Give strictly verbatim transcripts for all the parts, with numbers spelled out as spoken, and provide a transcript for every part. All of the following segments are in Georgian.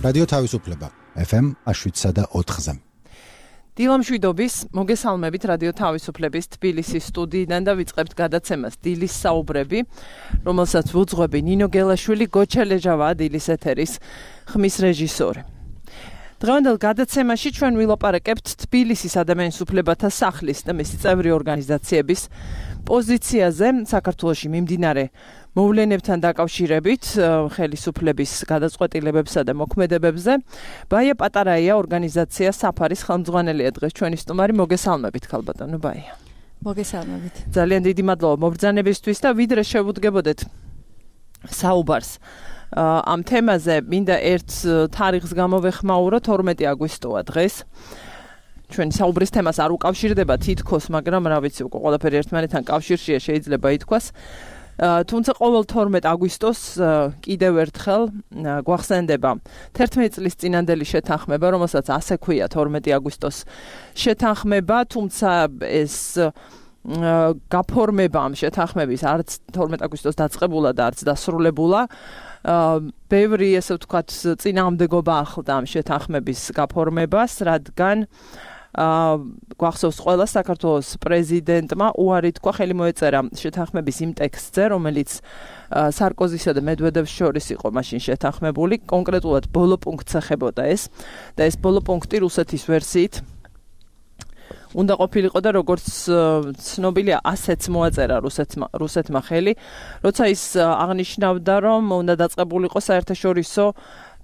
რადიო თავისუფლება ეფ ემ შვიდსა და ოთხზე. დილა მშვიდობის, მოგესალმებით რადიო თავისუფლების თბილისის სტუდიიდან და ვიწყებთ გადაცემას დილის საუბრები, რომელსაც ვუძღვები ნინო გელაშვილი, გოჩელეჟავაა დილის ეთერის ხმის რეჟისორი. დღევანდელ გადაცემაში ჩვენ ვილაპარაკებთ თბილისის ადამიანის უფლებათა სახლის და მისი წევრი ორგანიზაციების პოზიციაზე საქართველოში მიმდინარე მოვლენებთან დაკავშირებით, ხელისუფლების გადაწყვეტილებებსა და მოქმედებებზე. ბაია პატარაია ორგანიზაცია საფარის ხელმძღვანელია დღეს ჩვენი სტუმარი. მოგესალმებით ქალბატონო ბაია. მოგესალმებით. ძალიან დიდი მადლობა მობრძანებისთვის და ვიდრე შევუდგებოდეთ საუბარს ამ თემაზე, მინდა ერთ თარიღს გამოვეხმაურო, თორმეტი აგვისტოა დღეს. ჩვენი საუბრის თემას არ უკავშირდება თითქოს, მაგრამ რა ვიცი, უკვე ყველაფერი ერთმანეთთან კავშირშია, შეიძლება ითქვას. თუმცა ყოველ თორმეტ აგვისტოს კიდევ ერთხელ გვახსენდება თერთმეტი წლის წინანდელი შეთანხმება, რომელსაც ასე ქვია თორმეტი აგვისტოს შეთანხმება, თუმცა ეს გაფორმება ამ შეთანხმების არც თორმეტი აგვისტოს დაწყებულა და არც დასრულებულა. ბევრი, ესე ვთქვათ, წინააღმდეგობა ახლდა ამ შეთანხმების გაფორმებას, რადგან გვახსოვს ყველა საქართველოს პრეზიდენტმა უარი თქვა, ხელი მოეწერა შეთანხმების იმ ტექსტზე, რომელიც სარკოზისა და მედვედევს შორის იყო მაშინ შეთანხმებული, კონკრეტულად ბოლო პუნქტს ეხებოდა ეს და ეს ბოლო პუნქტი რუსეთის ვერსიით უნდა ყოფილიყო და როგორც ცნობილია, ასეც მოაწერა რუსეთმა, რუსეთმა ხელი, როცა ის აღნიშნავდა, რომ უნდა დაწყებულიყო საერთაშორისო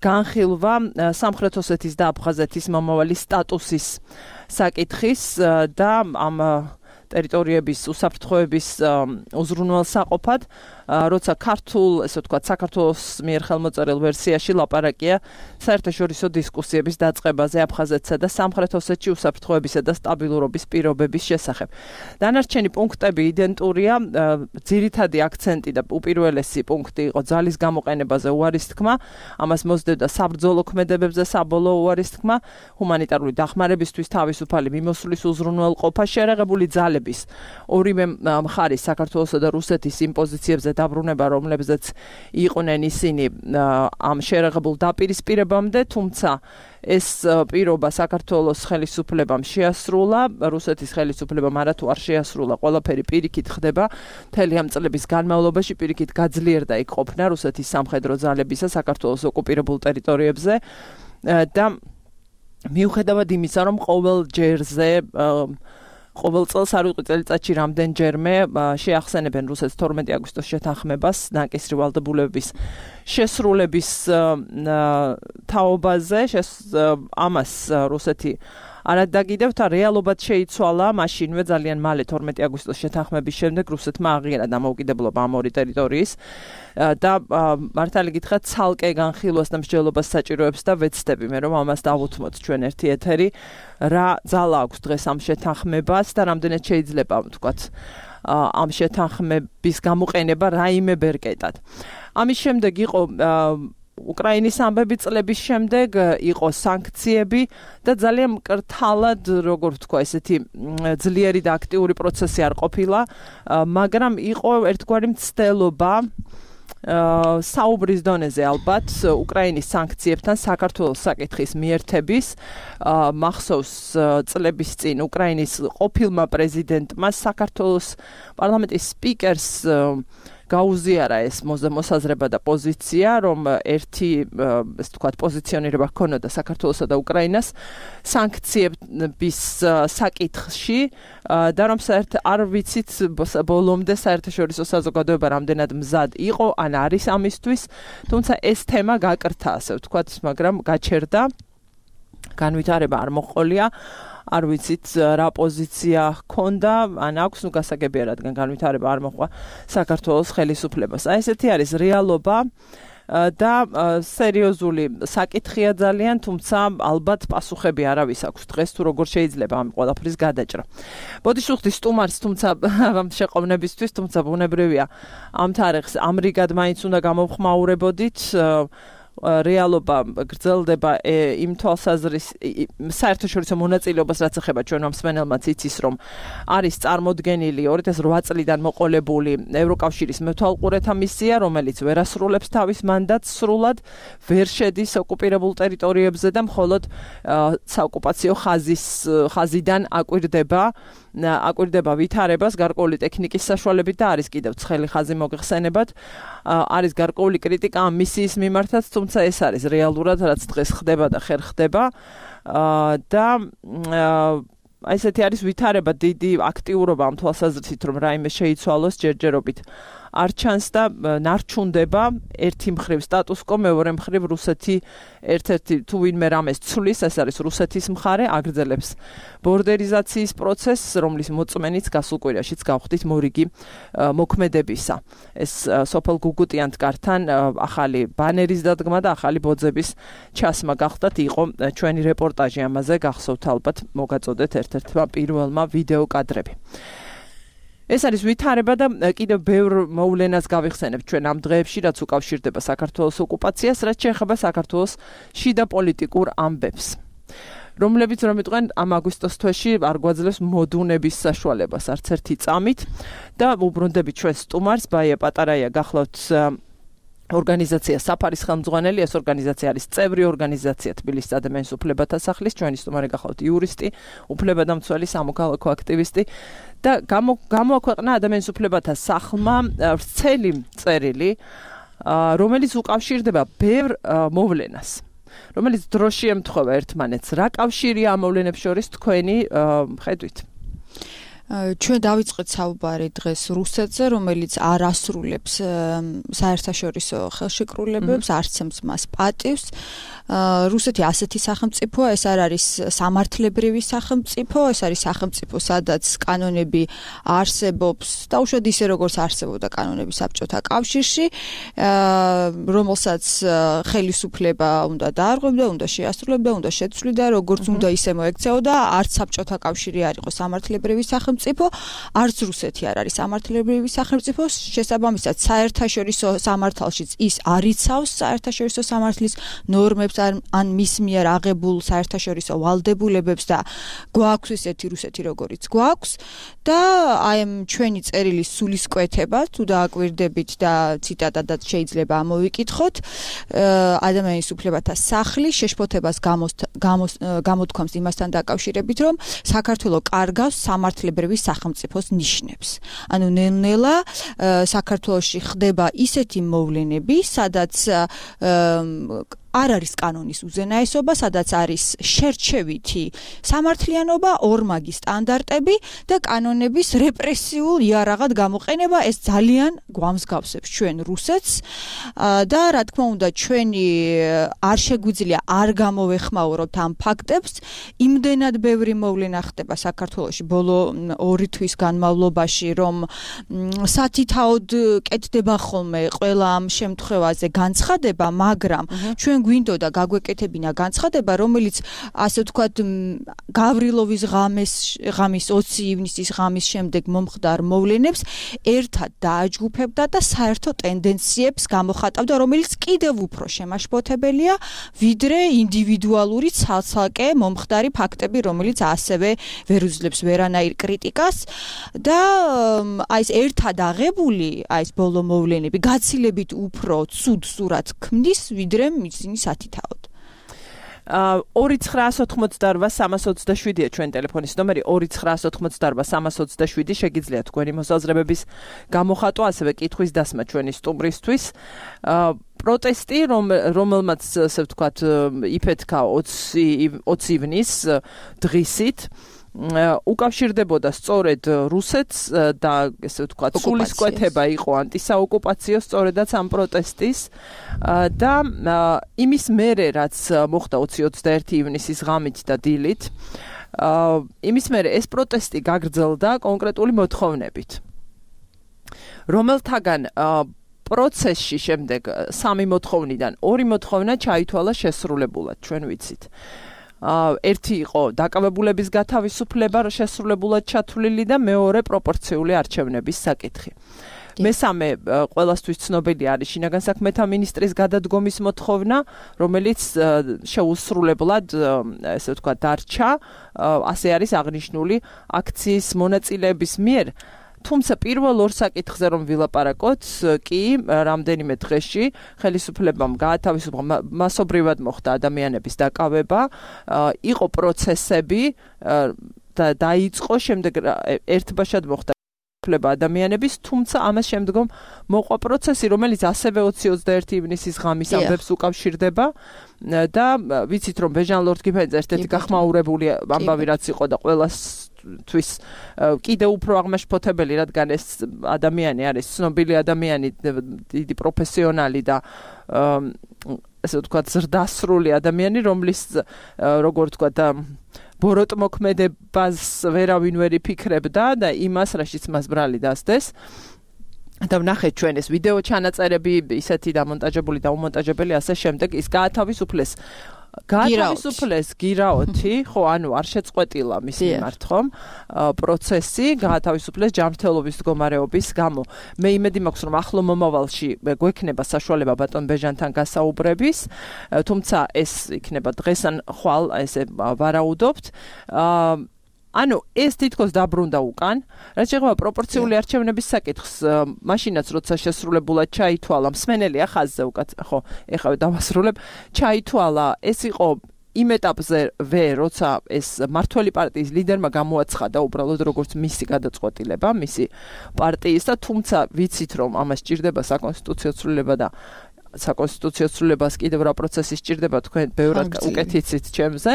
განხილვა სამხრეთ ოსეთის და აფხაზეთის მომავალი სტატუსის საკითხის და ამ ტერიტორიების უსაფრთხოების უზრუნველსაყოფად, როცა ქართულ, ესე ვთქვათ, საქართველოს მიერ ხელმოწერილ ვერსიაში ლაპარაკია საერთაშორისო დისკუსიების დაწყებაზე აფხაზეთსა და სამხრეთ ოსეთში უსაფრთხოებისა და სტაბილურობის პირობების შესახებ. დანარჩენი პუნქტები იდენტურია, ძირითადი აქცენტი და უპირველესი პუნქტი იყო ძალის გამოყენებაზე უარის თქმა, ამას მოსდევდა საბრძოლო ქმედებებზე საბოლოო უარის თქმა, ჰუმანიტარული დახმარებისთვის თავისუფალი მიმოსვლის უზრუნველყოფა, შერეღებული ძალების ორივე მხარის საქართველოსა და რუსეთის იმ პოზიციებზე დაბრუნება, რომლებზეც იყვნენ ისინი ამ შერეღებულ დაპირისპირებამდე, თუმცა ეს პირობა საქართველოს ხელისუფლებამ შეასრულა, რუსეთის ხელისუფლებამ არათუ არ შეასრულა, ყველაფერი პირიქით ხდება, მთელი ამ წლების განმავლობაში პირიქით გაძლიერდა იქ ყოფნა რუსეთის სამხედრო ძალებისა საქართველოს ოკუპირებულ ტერიტორიებზე და მიუხედავად იმისა, რომ ყოველ ჯერზე ყოველ წელს არ ვიყო წელიწადში რამდენჯერმე შეახსენებენ რუსეთს თორმეტი აგვისტოს შეთანხმებას ნაკისრი ვალდებულების შესრულების თაობაზე, ამას რუსეთი არადაგიდევთ, რეალობად შეიცვალა მაშინვე ძალიან მალე თორმეტი აგვისტოს შეთანხმების შემდეგ რუსეთმა აღიარა დამოუკიდებლობა ამ ორი ტერიტორიის და მართალი გითხრათ ცალკე განხილვას და მსჯელობას საჭიროებს და ვეცდები მე რომ ამას დავუთმოთ ჩვენ ერთი ეთერი, რა ძალა აქვს დღეს ამ შეთანხმებას და რამდენად შეიძლება ვთქვათ ამ შეთანხმების გამოყენება რაიმე ბერკეტად. ამის შემდეგ იყო უკრაინის ამბები, წლების შემდეგ იყო სანქციები და ძალიან მკრთალად, როგორ ვთქვა, ესეთი ძლიერი და აქტიური პროცესი არ ყოფილა, მაგრამ იყო ერთგვარი მცდელობა საუბრის დონეზე ალბათ უკრაინის სანქციებთან საქართველოს საკითხის მიერთების. მახსოვს წლების წინ უკრაინის ყოფილმა პრეზიდენტმა საქართველოს პარლამენტის სპიკერს გაუზიარა ეს მოსაზრება და პოზიცია, რომ ერთი, ესე ვთქვათ, პოზიციონირება ჰქონოდა საქართველოსა და უკრაინას სანქციების საკითხში და რომ საერთ არ ვიცით ბოლომდე საერთაშორისო საზოგადოება რამდენად მზად იყო ან არის ამისთვის, თუმცა ეს თემა გაკრთა, ასე ვთქვათ, მაგრამ გაჩერდა, განვითარება არ მოჰყოლია. არ ვიცით რა პოზიცია ჰქონდა, ან აქვს, ნუ გასაგებია, რადგან განვითარება არ მოჰყვა საქართველოს ხელისუფლებას. აი ესეთი არის რეალობა და სერიოზული საკითხია ძალიან, თუმცა ალბათ პასუხები არავის აქვს დღეს თუ როგორ შეიძლება ამ ყველაფრის გადაჭრა. ბოდიშ ვხდი სტუმარს, თუმცა ამ შეყოვნებისთვის, თუმცა ბუნებრივია ამ თარიღს ამრიგად მაინც უნდა გამოვხმაურებოდით. რეალობა გრძელდება იმ თვალსაზრისით საერთაშორისო მონაწილეობას რაც ეხება ჩვენ მსმენელმაც იცის რომ არის წარმოდგენილი ორი ათას ოთხ წლიდან მოყოლებული ევროკავშირის მეთვალყურეთა მისია რომელიც ვერასრულებს თავის მანდატს სრულად ვერ შედის ოკუპირებულ ტერიტორიებზე და მხოლოდ საოკუპაციო ხაზის ხაზიდან აკვირდება აკვირდება ვითარებას გარკვეული ტექნიკის საშუალებით და არის კიდევ ცხელი ხაზი მოგეხსენებათ არის გარკვეული კრიტიკა ამ მისიის მიმართაც თუმცა ეს არის რეალურად რაც დღეს ხდება და ხერ ხდება და აი ესეთი არის ვითარება დიდი აქტიურობა ამ თვალსაზრისით რომ რაიმე შეიცვალოს ჯერჯერობით არ ჩანს და ნარჩუნდება ერთი მხრივ სტატუს-კვო მეორე მხრივ რუსეთი ერთ-ერთი თუ ვინმე რამეს ცვლის ეს არის რუსეთის მხარე აგრძელებს ბორდერიზაციის პროცესს რომლის მოწმენიც გასულ კვირაშიც გავხდით მორიგი მოქმედებისა ეს სოფელ გუგუტიანთკართან ახალი ბანერის დადგმა და ახალი ბოძების ჩასმა გახდათ იყო ჩვენი რეპორტაჟი ამაზე გახსოვთ ალბათ მოგაწოდეთ ერთ-ერთმა პირველმა ვიდეო კადრები ეს არის ვითარება და კიდევ ბევრ მოვლენას გავიხსენებ ჩვენ ამ დღეებში რაც უკავშირდება საქართველოს ოკუპაციას რაც შეეხება საქართველოს შიდა პოლიტიკურ ამბებს რომლებიც რომ იტყვენ ამ აგვისტოს თვეში არ გვაძლევს მოდუნების საშუალებას არც ერთი წამით და უბრუნდებით ჩვენ სტუმარს ბაია პატარაია გახლავთ ორგანიზაცია საფარის ხელმძღვანელი ეს ორგანიზაცია არის წევრი ორგანიზაცია თბილისის ადამიანის უფლებათა სახლის ჩვენი სტუმარი გახლავთ იურისტი უფლებადამცველი სამოქალაქო აქტივისტი და გამოაქვეყნა ადამიანის უფლებათა სახლმა ვრცელი წერილი რომელიც უკავშირდება ბევრ მოვლენას რომელიც დროში ემთხვევა ერთმანეთს რა კავშირია ამ მოვლენებს შორის თქვენი ხედვით ჩვენ დავიწყეთ საუბარი დღეს რუსეთზე, რომელიც არ ასრულებს საერთაშორისო ხელშეკრულებებს, არცემს მას პატივს. რუსეთი ასეთი სახელმწიფოა, ეს არ არის სამართლებრივი სახელმწიფო, ეს არის სახელმწიფო, სადაც კანონები არსებობს, დაუშვათ ისე როგორც არსებობდა კანონები საბჭოთა კავშირში, რომელსაც ხელისუფლება უნდა დაარღვევდა, უნდა შეასრულებდა, უნდა შეცვლიდა, როგორც უნდა ისე მოექცეოდა, არც საბჭოთა კავშირი არ იყო სამართლებრივი სახელმწიფო, არც რუსეთი არ არის სამართლებრივი სახელმწიფო, შესაბამისად საერთაშორისო სამართალშიც ის არ იცავს საერთაშორისო სამართლის ნორმებს ან მის მიერ აღებულ საერთაშორისო ვალდებულებებს და გვაქვს ესეთი რუსეთი როგორიც გვაქვს და აი ამ ჩვენი წერილის სულისკვეთება თუ დააკვირდებით და ციტატადაც შეიძლება ამოვიკითხოთ ადამიანის უფლებათა სახლი შეშფოთებას გამოთქვამს იმასთან დაკავშირებით რომ საქართველოს კარგავს სამართლებრივი სახელმწიფოს ნიშნებს ანუ ნელ-ნელა საქართველოში ხდება ისეთი მოვლენები სადაც არ არის კანონის უზენაესობა, სადაც არის შერჩევითი სამართლიანობა, ორმაგი სტანდარტები და კანონების რეპრესიულ იარაღად გამოყენება, ეს ძალიან გვამსგავსებს ჩვენ რუსეთს და რა თქმა უნდა ჩვენი არ შეგვიძლია არ გამოვეხმაუროთ ამ ფაქტებს, იმდენად ბევრი მოვლენა ხდება საქართველოში ბოლო ორი თვის განმავლობაში, რომ სათითაოდ კეთდება ხოლმე ყველა ამ შემთხვევაზე განცხადება, მაგრამ ჩვენ გვინდოდა გაგვეკეთებინა განცხადება, რომელიც ასე ვთქვათ გავრილოვის ღამის ღამის ოცი ივნისის ღამის შემდეგ მომხდარ მოვლენებს ერთად დააჯგუფებდა და საერთო ტენდენციებს გამოხატავდა, რომელიც კიდევ უფრო შემაშფოთებელია, ვიდრე ინდივიდუალური ცალ-ცალკე მომხდარი ფაქტები, რომელიც ასევე ვერ უძლებს ვერანაირ კრიტიკას და აი ეს ერთად აღებული, აი ეს ბოლო მოვლენები გაცილებით უფრო ცუდ სურათს ქმნის, ვიდრე მის სათითაოდ. ორი ცხრაას ოთხმოცდაორვა სამას ოცდაშვიდია ჩვენ ტელეფონის ნომერი ორი ცხრაას ოთხმოცდაორვა სამას ოცდაშვიდი შეგიძლიათ თქვენი მოსაზრებების გამოხატვა, ასევე კითხვის დასმა ჩვენი სტუმრისთვის. პროტესტი, რომელმაც ასე ვთქვათ იფეთქა ოცი ივნის დღისით უკავშირდებოდა სწორედ რუსეთს და ესე ვთქვათ სულისკვეთება იყო ანტისაოკუპაციო სწორედაც ამ პროტესტის და იმის მერე რაც მოხდა ოცი ოცდაერთი ივნისის ღამით და დილით იმის მერე ეს პროტესტი გაგრძელდა კონკრეტული მოთხოვნებით რომელთაგან პროცესში შემდეგ სამი მოთხოვნიდან ორი მოთხოვნა ჩაითვალა შესრულებულად ჩვენ ვიცით ერთი იყო დაკავებულების გათავისუფლება შესრულებულად ჩათვლილი და მეორე პროპორციული არჩევნების საკითხი. მესამე ყველასთვის ცნობილი არის შინაგან საქმეთა მინისტრის გადადგომის მოთხოვნა, რომელიც შეუსრულებლად, ესე ვთქვათ, დარჩა, ასე არის აღნიშნული აქციის მონაწილეების მიერ. თუმცა პირველ ორ საკითხზე რომ ვილაპარაკოთ, კი რამდენიმე დღეში ხელისუფლებამ გაათავისუფლა, მასობრივად მოხდა ადამიანების დაკავება, იყო პროცესები და დაიწყო შემდეგ ერთბაშად მოხდა ადამიანების, თუმცა ამას შემდგომ მოყვა პროცესი, რომელიც ასევე ოცი ოცდაერთი ივნისის ღამის ამბებს უკავშირდება და ვიცით რომ ბეჟან ლორდ-გიფენს ერთ-ერთი გახმაურებული ამბავი რაც იყო და ყველას თვის კიდევ უფრო აღმაშფოთებელი, რადგან ეს ადამიანი არის ცნობილი ადამიანი, დიდი პროფესიონალი და ესე ვთქვათ ზრდასრული ადამიანი, რომლის როგორ ვთქვათ და ბოროტმოქმედებას ვერავინ ვერ იფიქრებდა და იმას, რაშიც მას ბრალი დასდეს. და ვნახეთ ჩვენ ეს ვიდეო ჩანაწერები, ისეთი დამონტაჟებული და უმონტაჟებელი, ასე შემდეგ ის გაათავისუფლეს. გაათავისუფლეს გირაოთი, ხო, ანუ არ შეწყვეტილა მის მიმართ, ხომ? პროცესი გაათავისუფლეს ჯანმრთელობის მდგომარეობის გამო. მე იმედი მაქვს, რომ ახლო მომავალში გვექნება საშუალება ბატონ ბეჟანთან გასაუბრების, თუმცა ეს იქნება დღეს ან ხვალ, ესე ვარაუდობთ. ანუ ეს თითქოს დაბრუნდა უკან, რაც შეეხება პროპორციული არჩევნების საკითხს, მაშინაც როცა შესრულებულად ჩაითვალა, მსმენელია ხაზზე უკაც, ხო, ეხლა დავასრულებ, ჩაითვალა, ეს იყო იმ ეტაპზე ვე, როცა ეს მართველი პარტიის ლიდერმა გამოაცხადა უბრალოდ როგორც მისი გადაწყვეტილება, მისი პარტიის და თუმცა ვიცით რომ ამას სჭირდება საკონსტიტუციო ცვლილება და საკონსტიტუციო ცვლილებას კიდევ რა პროცესი სჭირდება, თქვენ ბევრად უკეთ იცით ჩემზე.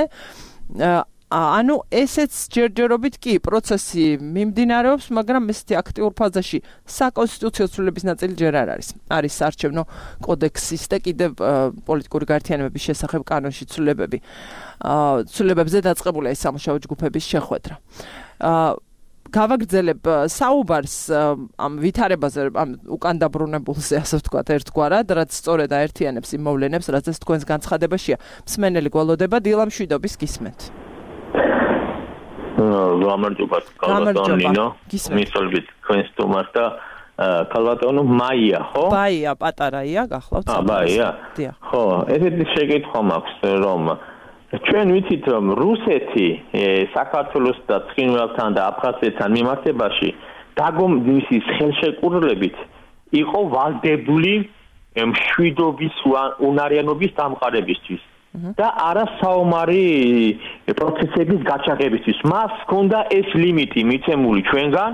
ანუ ესეც ჯერჯერობით კი პროცესი მიმდინარეობს, მაგრამ ესეთი აქტიურ ფაზაში საკონსტიტუციო ცვლილების ნაწილი ჯერ არ არის. არის საარჩევნო კოდექსის და კიდევ პოლიტიკური გაერთიანებების შესახებ კანონში ცვლილებები. ცვლილებებზე დაწყებულია ეს სამუშაო ჯგუფების შეხვედრა. გავაგრძელებ საუბარს ამ ვითარებაზე, ამ უკან დაბრუნებულზე, ასე ვთქვათ, ერთგვარად, რაც სწორედ აერთიანებს იმ მოვლენებს, რაზეც თქვენს განცხადებაშია. მსმენელი გველოდება, დილა მშვიდობის გისმენთ. გამარჯობა, კალბატონო ნინო, მისოლვით თქვენს თომას და კალბატონო მაია, ხო? ბაია, პატარაია, გახლავთ. აა, ბაია. ხო, ესეთი შეკითხვა მაქვს, რომ ჩვენ ვიცით, რომ რუსეთი საქართველოს და ცხინვალთან და აფხაზეთთან მიმართებაში დაგომდის ხელშეკრულებით იყო ვალდებული მშვიდობის უნარიანობის დამყარებისთვის. და არა საომარი პროცესების გაჩაღებისთვის. მას ჰქონდა ეს ლიმიტი მიცემული ჩვენგან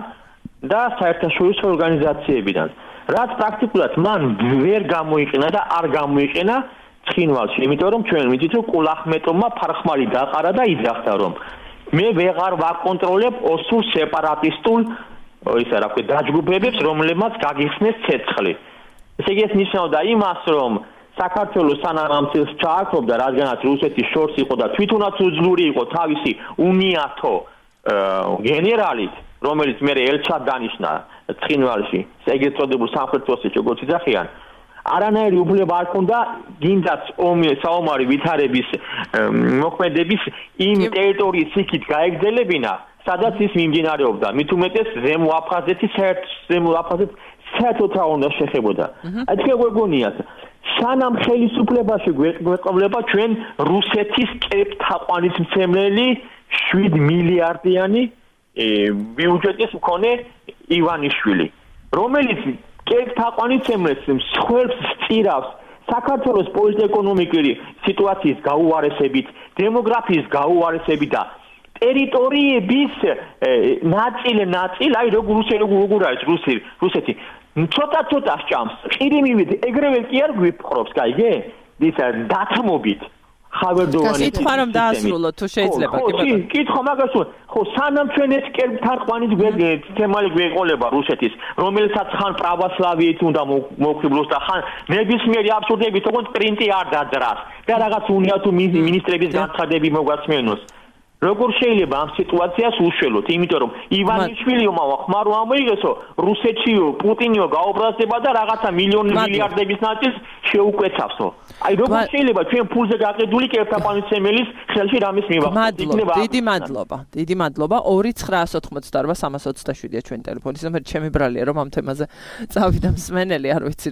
და საერთაშორისო ორგანიზაციებიდან. რაც პრაქტიკულად მან ვერ გამოიყენა და არ გამოიყენა ცხინვალში, იმიტომ რომ ჩვენ ვიცით რომ კულახმეტოვმა ფარხმალი დაყარა და იძახდა რომ მე ვეღარ ვაკონტროლებ ოსურ სეპარატისტულ ისა რა ქვია დაჯგუფებებს, რომლებმაც გაგიხსნეს ცეცხლი. ესე იგი ეს ნიშნავდა იმას, რომ საქართველოს სანამ ამ წელს ჩააქრობდა, რადგანაც რუსეთის შორს იყო და თვითონაც უძლური იყო თავისი უნიათო გენერალით, რომელიც მე ელჩად დანიშნა ცხინვალში, ეგრეთ წოდებულ სამხრეთ ოსეთში, როგორც იძახიან, არანაირი უფლება არ ჰქონდა გინდაც საომარი ვითარების მოქმედების იმ ტერიტორიის იქით გაეგრძელებინა, სადაც ის მიმდინარეობდა. მით უმეტეს ზემო აფხაზეთის ზემო აფხაზეთ საერთოდ რა უნდა შეხებოდა. აი თქვენ გვეგონიათ სანამ ხელისუფლებაში გვეყოლება ჩვენ რუსეთის კერპთაყვანისმცემელი შვიდ მილიარდიანი ბიუჯეტის მქონე ივანიშვილი, რომელიც კერპთაყვანისმცემლებს მსხვერპლს სწირავს საქართველოს პოლიტეკონომიკური სიტუაციის გაუარესებით, დემოგრაფიის გაუარესებით და ტერიტორიების ნაწილი ნაწილი, აი როგორ როგორ არის რუსი რუსეთი ცოტა-ცოტა სჭამს. ყირიმივით ეგრევე კი არ გვიფხრობს, გაიგე? ისა დათმობით ხავერდოვანი. კითხვა რომ დაასრულოთ თუ შეიძლება, კი ბატონო. ხო, კითხვა მაგას ვარ. ხო, სანამ ჩვენ ეს კერპთაყვანის თემალი გვეყოლება რუსეთის, რომელსაც ხან პრავოსლავიით უნდა მოვხიბლოს და ხან ნებისმიერი აბსურდებით, თქო პრინტი არ დაძრას და რაღაც უნიათო მინისტრების განცხადები მოგვასმენოს. როგორ შეიძლება ამ სიტუაციას უშველოთ, იმიტომ რომ ივანიშვილმა ხმარო ამოიღესო, რუსეთშიო, პუტინიო გაუბრალდება და რაღაცა მილიონი მილიარდების ნაწილს შეუკვეცავსო. აი როგორ შეიძლება ჩვენ ფულზე გაყიდული კერტაპანიცემელის ხელში რამის მივახცოთ? იქნება დიდი მადლობა. დიდი მადლობა. ორი ცხრაას ოცდაოთხმოცდაარბა სამას ოცდაშვიდია ჩვენი ტელეფონის ნომერი. ჩემი ბრალია რომ ამ თემაზე წავიდა მსმენელი, არ ვიცი.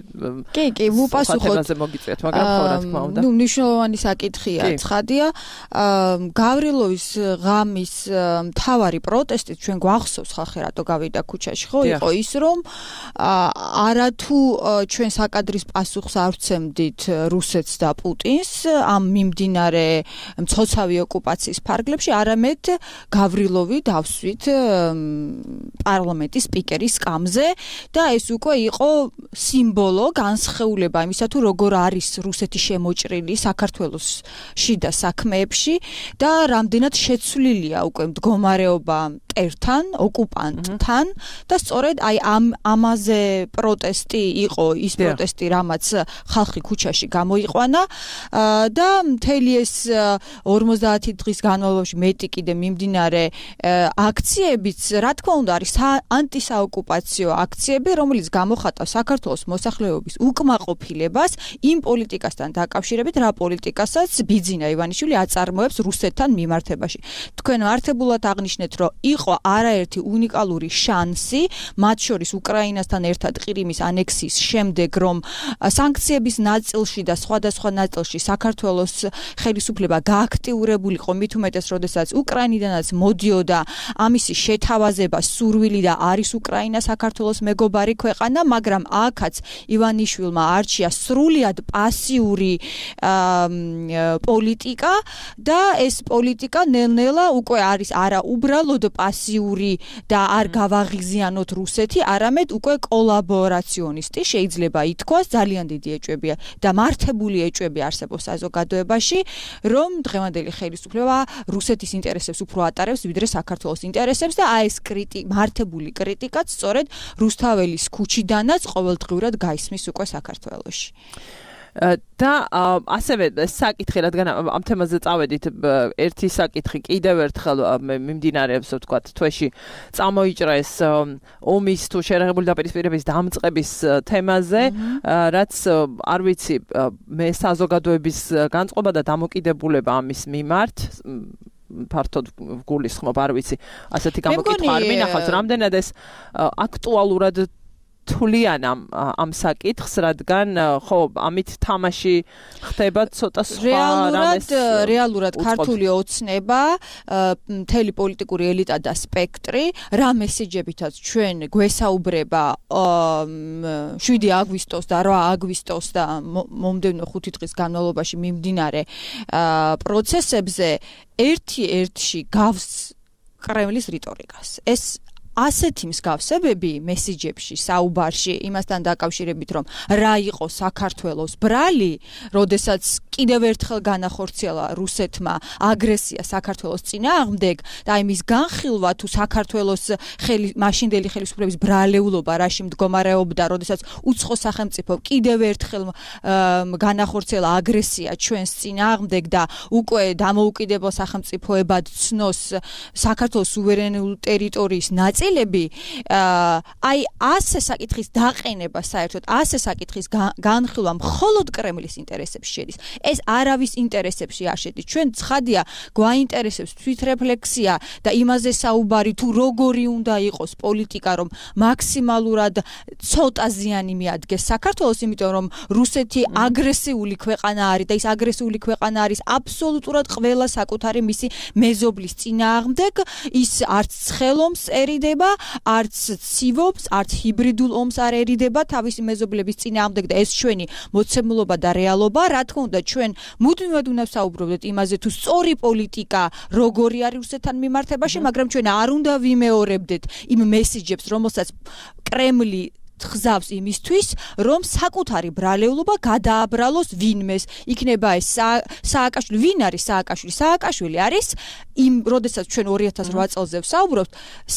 კი, კი, ვუპასუხოთ. თემაზე მოგიწვიეთ, მაგრამ ხო რა თქმა უნდა. ნუ მნიშვნელოვანი საკითხია, ცხადია. გავრილოვის ღამის მთავარი პროტესტი ჩვენ გვახსოვს ხალხი რატო გავიდა ქუჩაში, ხო? იყო ის რომ არათუ ჩვენ საკადრის პასუხს არ ვცემდით რუსეთს და პუტინს ამ მიმდინარე მცოცავი ოკუპაციის ფარგლებში, არამედ გავრილოვი დავსვით პარლამენტის სპიკერის სკამზე და ეს უკვე იყო სიმბოლო, განსხეულება იმისა თუ როგორ არის რუსეთი შემოჭრილი საქართველოს შიდა საქმეებში და რამდენად შეცვლილია უკვე მდგომარეობა მტერთან, ოკუპანტთან და სწორედ აი ამ ამაზე პროტესტი იყო ის პროტესტი, რამაც ხალხი ქუჩაში გამოიყვანა და მთელი ეს ორმოცდაათი დღის განმავლობაში მეტი კიდე მიმდინარე აქციებიც, რა თქმა უნდა, არის ანტისაოკუპაციო აქციები, რომელიც გამოხატავს საქართველოს მოსახლეობის უკმაყოფილებას იმ პოლიტიკასთან დაკავშირებით, რა პოლიტიკასაც ბიძინა ივანიშვილი აწარმოებს რუსეთთან მიმართებაში. თქვენ მართებულად აღნიშნეთ, რომ იყო არაერთი უნიკალური შანსი, მათ შორის უკრაინასთან ერთად ყირიმის ანექსიის შემდეგ, რომ სანქციების ნაწილში და სხვადასხვა ნაწილში საქართველოს ხელისუფლება გააქტიურებულიყო, მით უმეტეს, როდესაც უკრაინიდანაც მოდიოდა ამისი შეთავაზება, სურვილი და არის უკრაინა საქართველოს მეგობარი ქვეყანა, მაგრამ აქაც ივანიშვილმა არჩია სრულიად პასიური პოლიტიკა და ეს პოლიტიკა ნელ-ნელა უკვე არის არა უბრალოდ პასიური და არ გავაღიზიანოთ რუსეთი, არამედ უკვე კოლაბორაციონისტი, შეიძლება ითქვას, ძალიან დიდი ეჭვებია და მართებული ეჭვები არსებობს საზოგადოებაში, რომ დღევანდელი ხელისუფლება რუსეთის ინტერესებს უფრო ატარებს, ვიდრე საქართველოს ინტერესებს და აი ეს კრიტიკა, მართებული კრიტიკაც სწორედ რუსთაველის ქუჩიდანაც ყოველდღიურად გაისმის უკვე საქართველოში. და ასევე საკითხი, რადგან ამ თემაზე წავედით, ერთი საკითხი კიდევ ერთხელ მიმდინარეობს, ვთქვათ, თვეში წამოიჭრა ეს ომის თუ შერეღებული დაპირისპირების დამწყების თემაზე, რაც არ ვიცი, მე საზოგადოების განწყობა და დამოკიდებულება ამის მიმართ ფართოდ გულისხმობ, არ ვიცი, ასეთი გამოკითხვა არ მინახავს, რამდენად ეს აქტუალურად თვლიან ამ ამ საკითხს, რადგან ხო ამით თამაში ხდება ცოტა სხვა რამეს. რეალურად ქართული ოცნება, მთელი პოლიტიკური ელიტა და სპექტრი, რა მესიჯებითაც ჩვენ გვესაუბრება შვიდი აგვისტოს და რვა აგვისტოს და მომდევნო ხუთი დღის განმავლობაში მიმდინარე პროცესებზე ერთი-ერთში გავს კრემლის რიტორიკას. ეს ასეთი მსგავსებები მესიჯებში, საუბარში, იმასთან დაკავშირებით, რომ რა იყო საქართველოს ბრალი, როდესაც კიდევ ერთხელ განახორციელა რუსეთმა აგრესია საქართველოს წინააღმდეგ და აი მის განხილვა თუ საქართველოს მაშინდელი ხელისუფლების ბრალეულობა რაში მდგომარეობდა, როდესაც უცხო სახელმწიფო კიდევ ერთხელ განახორციელა აგრესია ჩვენს წინააღმდეგ და უკვე დამოუკიდებელ სახელმწიფოებად ცნოს საქართველოს სუვერენული ტერიტორიის ნაწილები, აი ასე საკითხის დაყენება საერთოდ, ასე საკითხის განხილვა მხოლოდ კრემლის ინტერესებში შედის. ეს არავის ინტერესებში არ შედის. ჩვენ ცხადია გვაინტერესებს თვითრეფლექსია და იმაზე საუბარი თუ როგორი უნდა იყოს პოლიტიკა, რომ მაქსიმალურად ცოტა ზიანი მიადგეს საქართველოს, იმიტომ რომ რუსეთი აგრესიული ქვეყანა არის და ის აგრესიული ქვეყანა არის აბსოლუტურად ყველა საკუთარი მისი მეზობლის წინააღმდეგ, ის არც ცხელომს ერიდება, არც ცივობს, არც ჰიბრიდულ ომს არ ერიდება თავისი მეზობლების წინააღმდეგ და ეს ჩვენი მოცემულობა და რეალობა, რა თქმა უნდა, ჩვენ მუდმივად უნდა ვსაუბრობდეთ იმაზე თუ სწორი პოლიტიკა როგორი არის რუსეთთან მიმართებაში, მაგრამ ჩვენ არ უნდა ვიმეორებდეთ იმ მესიჯებს, რომელსაც კრემლი ხზავს იმისთვის, რომ საკუთარი ბრალეულობა გადააბრალოს ვინმეს. იქნება ეს სააკაშვილი, ვინ არის სააკაშვილი? სააკაშვილი არის იმ, როდესაც ჩვენ ორი ათას რვა წელზე ვსაუბრობთ,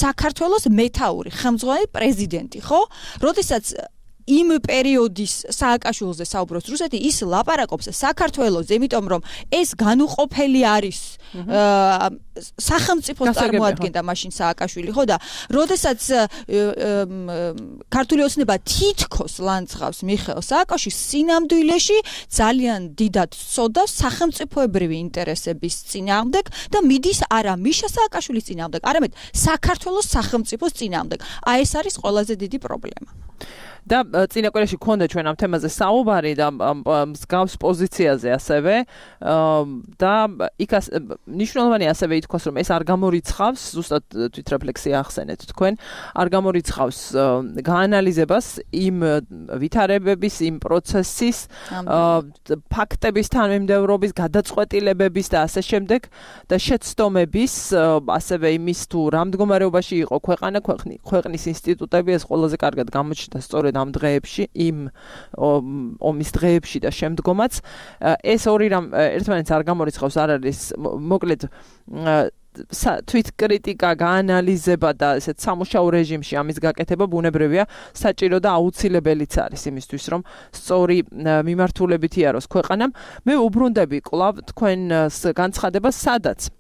საქართველოს მეთაური ხელმძღვანელი პრეზიდენტი, ხო? როდესაც იმ პერიოდის სააკაშვილზე საუბრობს რუსეთი, ის ლაპარაკობს საქართველოს, იმიტომ რომ ეს განუყოფელი არის სახელმწიფოს წარმოადგენდა მაშინ სააკაშვილი, ხო და როდესაც ქართული ოცნება თითქოს ლანძღავს მიხეილ სააკაშვილის სინამდვილეში ძალიან დიდად სწოდავს სახელმწიფოებრივი ინტერესების წინააღმდეგ და მიდის არა მიშა სააკაშვილის წინააღმდეგ, არამედ საქართველოს სახელმწიფოს წინააღმდეგ. აი ეს არის ყველაზე დიდი პრობლემა. და წინა კვირაში გქონდა ჩვენ ამ თემაზე საუბარი და მსგავს პოზიციაზე ასევე და იქ მნიშვნელოვანი ასევე ითქვას რომ ეს არ გამორიცხავს ზუსტად თვითრეფლექსია ახსენეთ თქვენ არ გამორიცხავს გაანალიზებას იმ ვითარებების იმ პროცესის ფაქტების თანმიმდევრობის გადაწყვეტილებების და ასე შემდეგ და შეცდომების ასევე იმის თუ რა მდგომარეობაში იყო ქვეყანა ქვეყნის ინსტიტუტები ეს ყველაზე კარგად გამოჩნდა სწორედ ამ დღეებში იმ ომის დღეებში და შემდგომაც ეს ორი რამ ერთმანეთს არ გამორიცხავს არ არის მოკლედ თვით კრიტიკა გაანალიზება და ესეთ სამუშაო რეჟიმში ამის გაკეთება ბუნებრივია საჭირო და აუცილებელიც არის იმისთვის რომ სწორი მიმართულებით იაროს ქვეყანამ მე უბრუნდები კვლავ თქვენს განცხადებას სადაც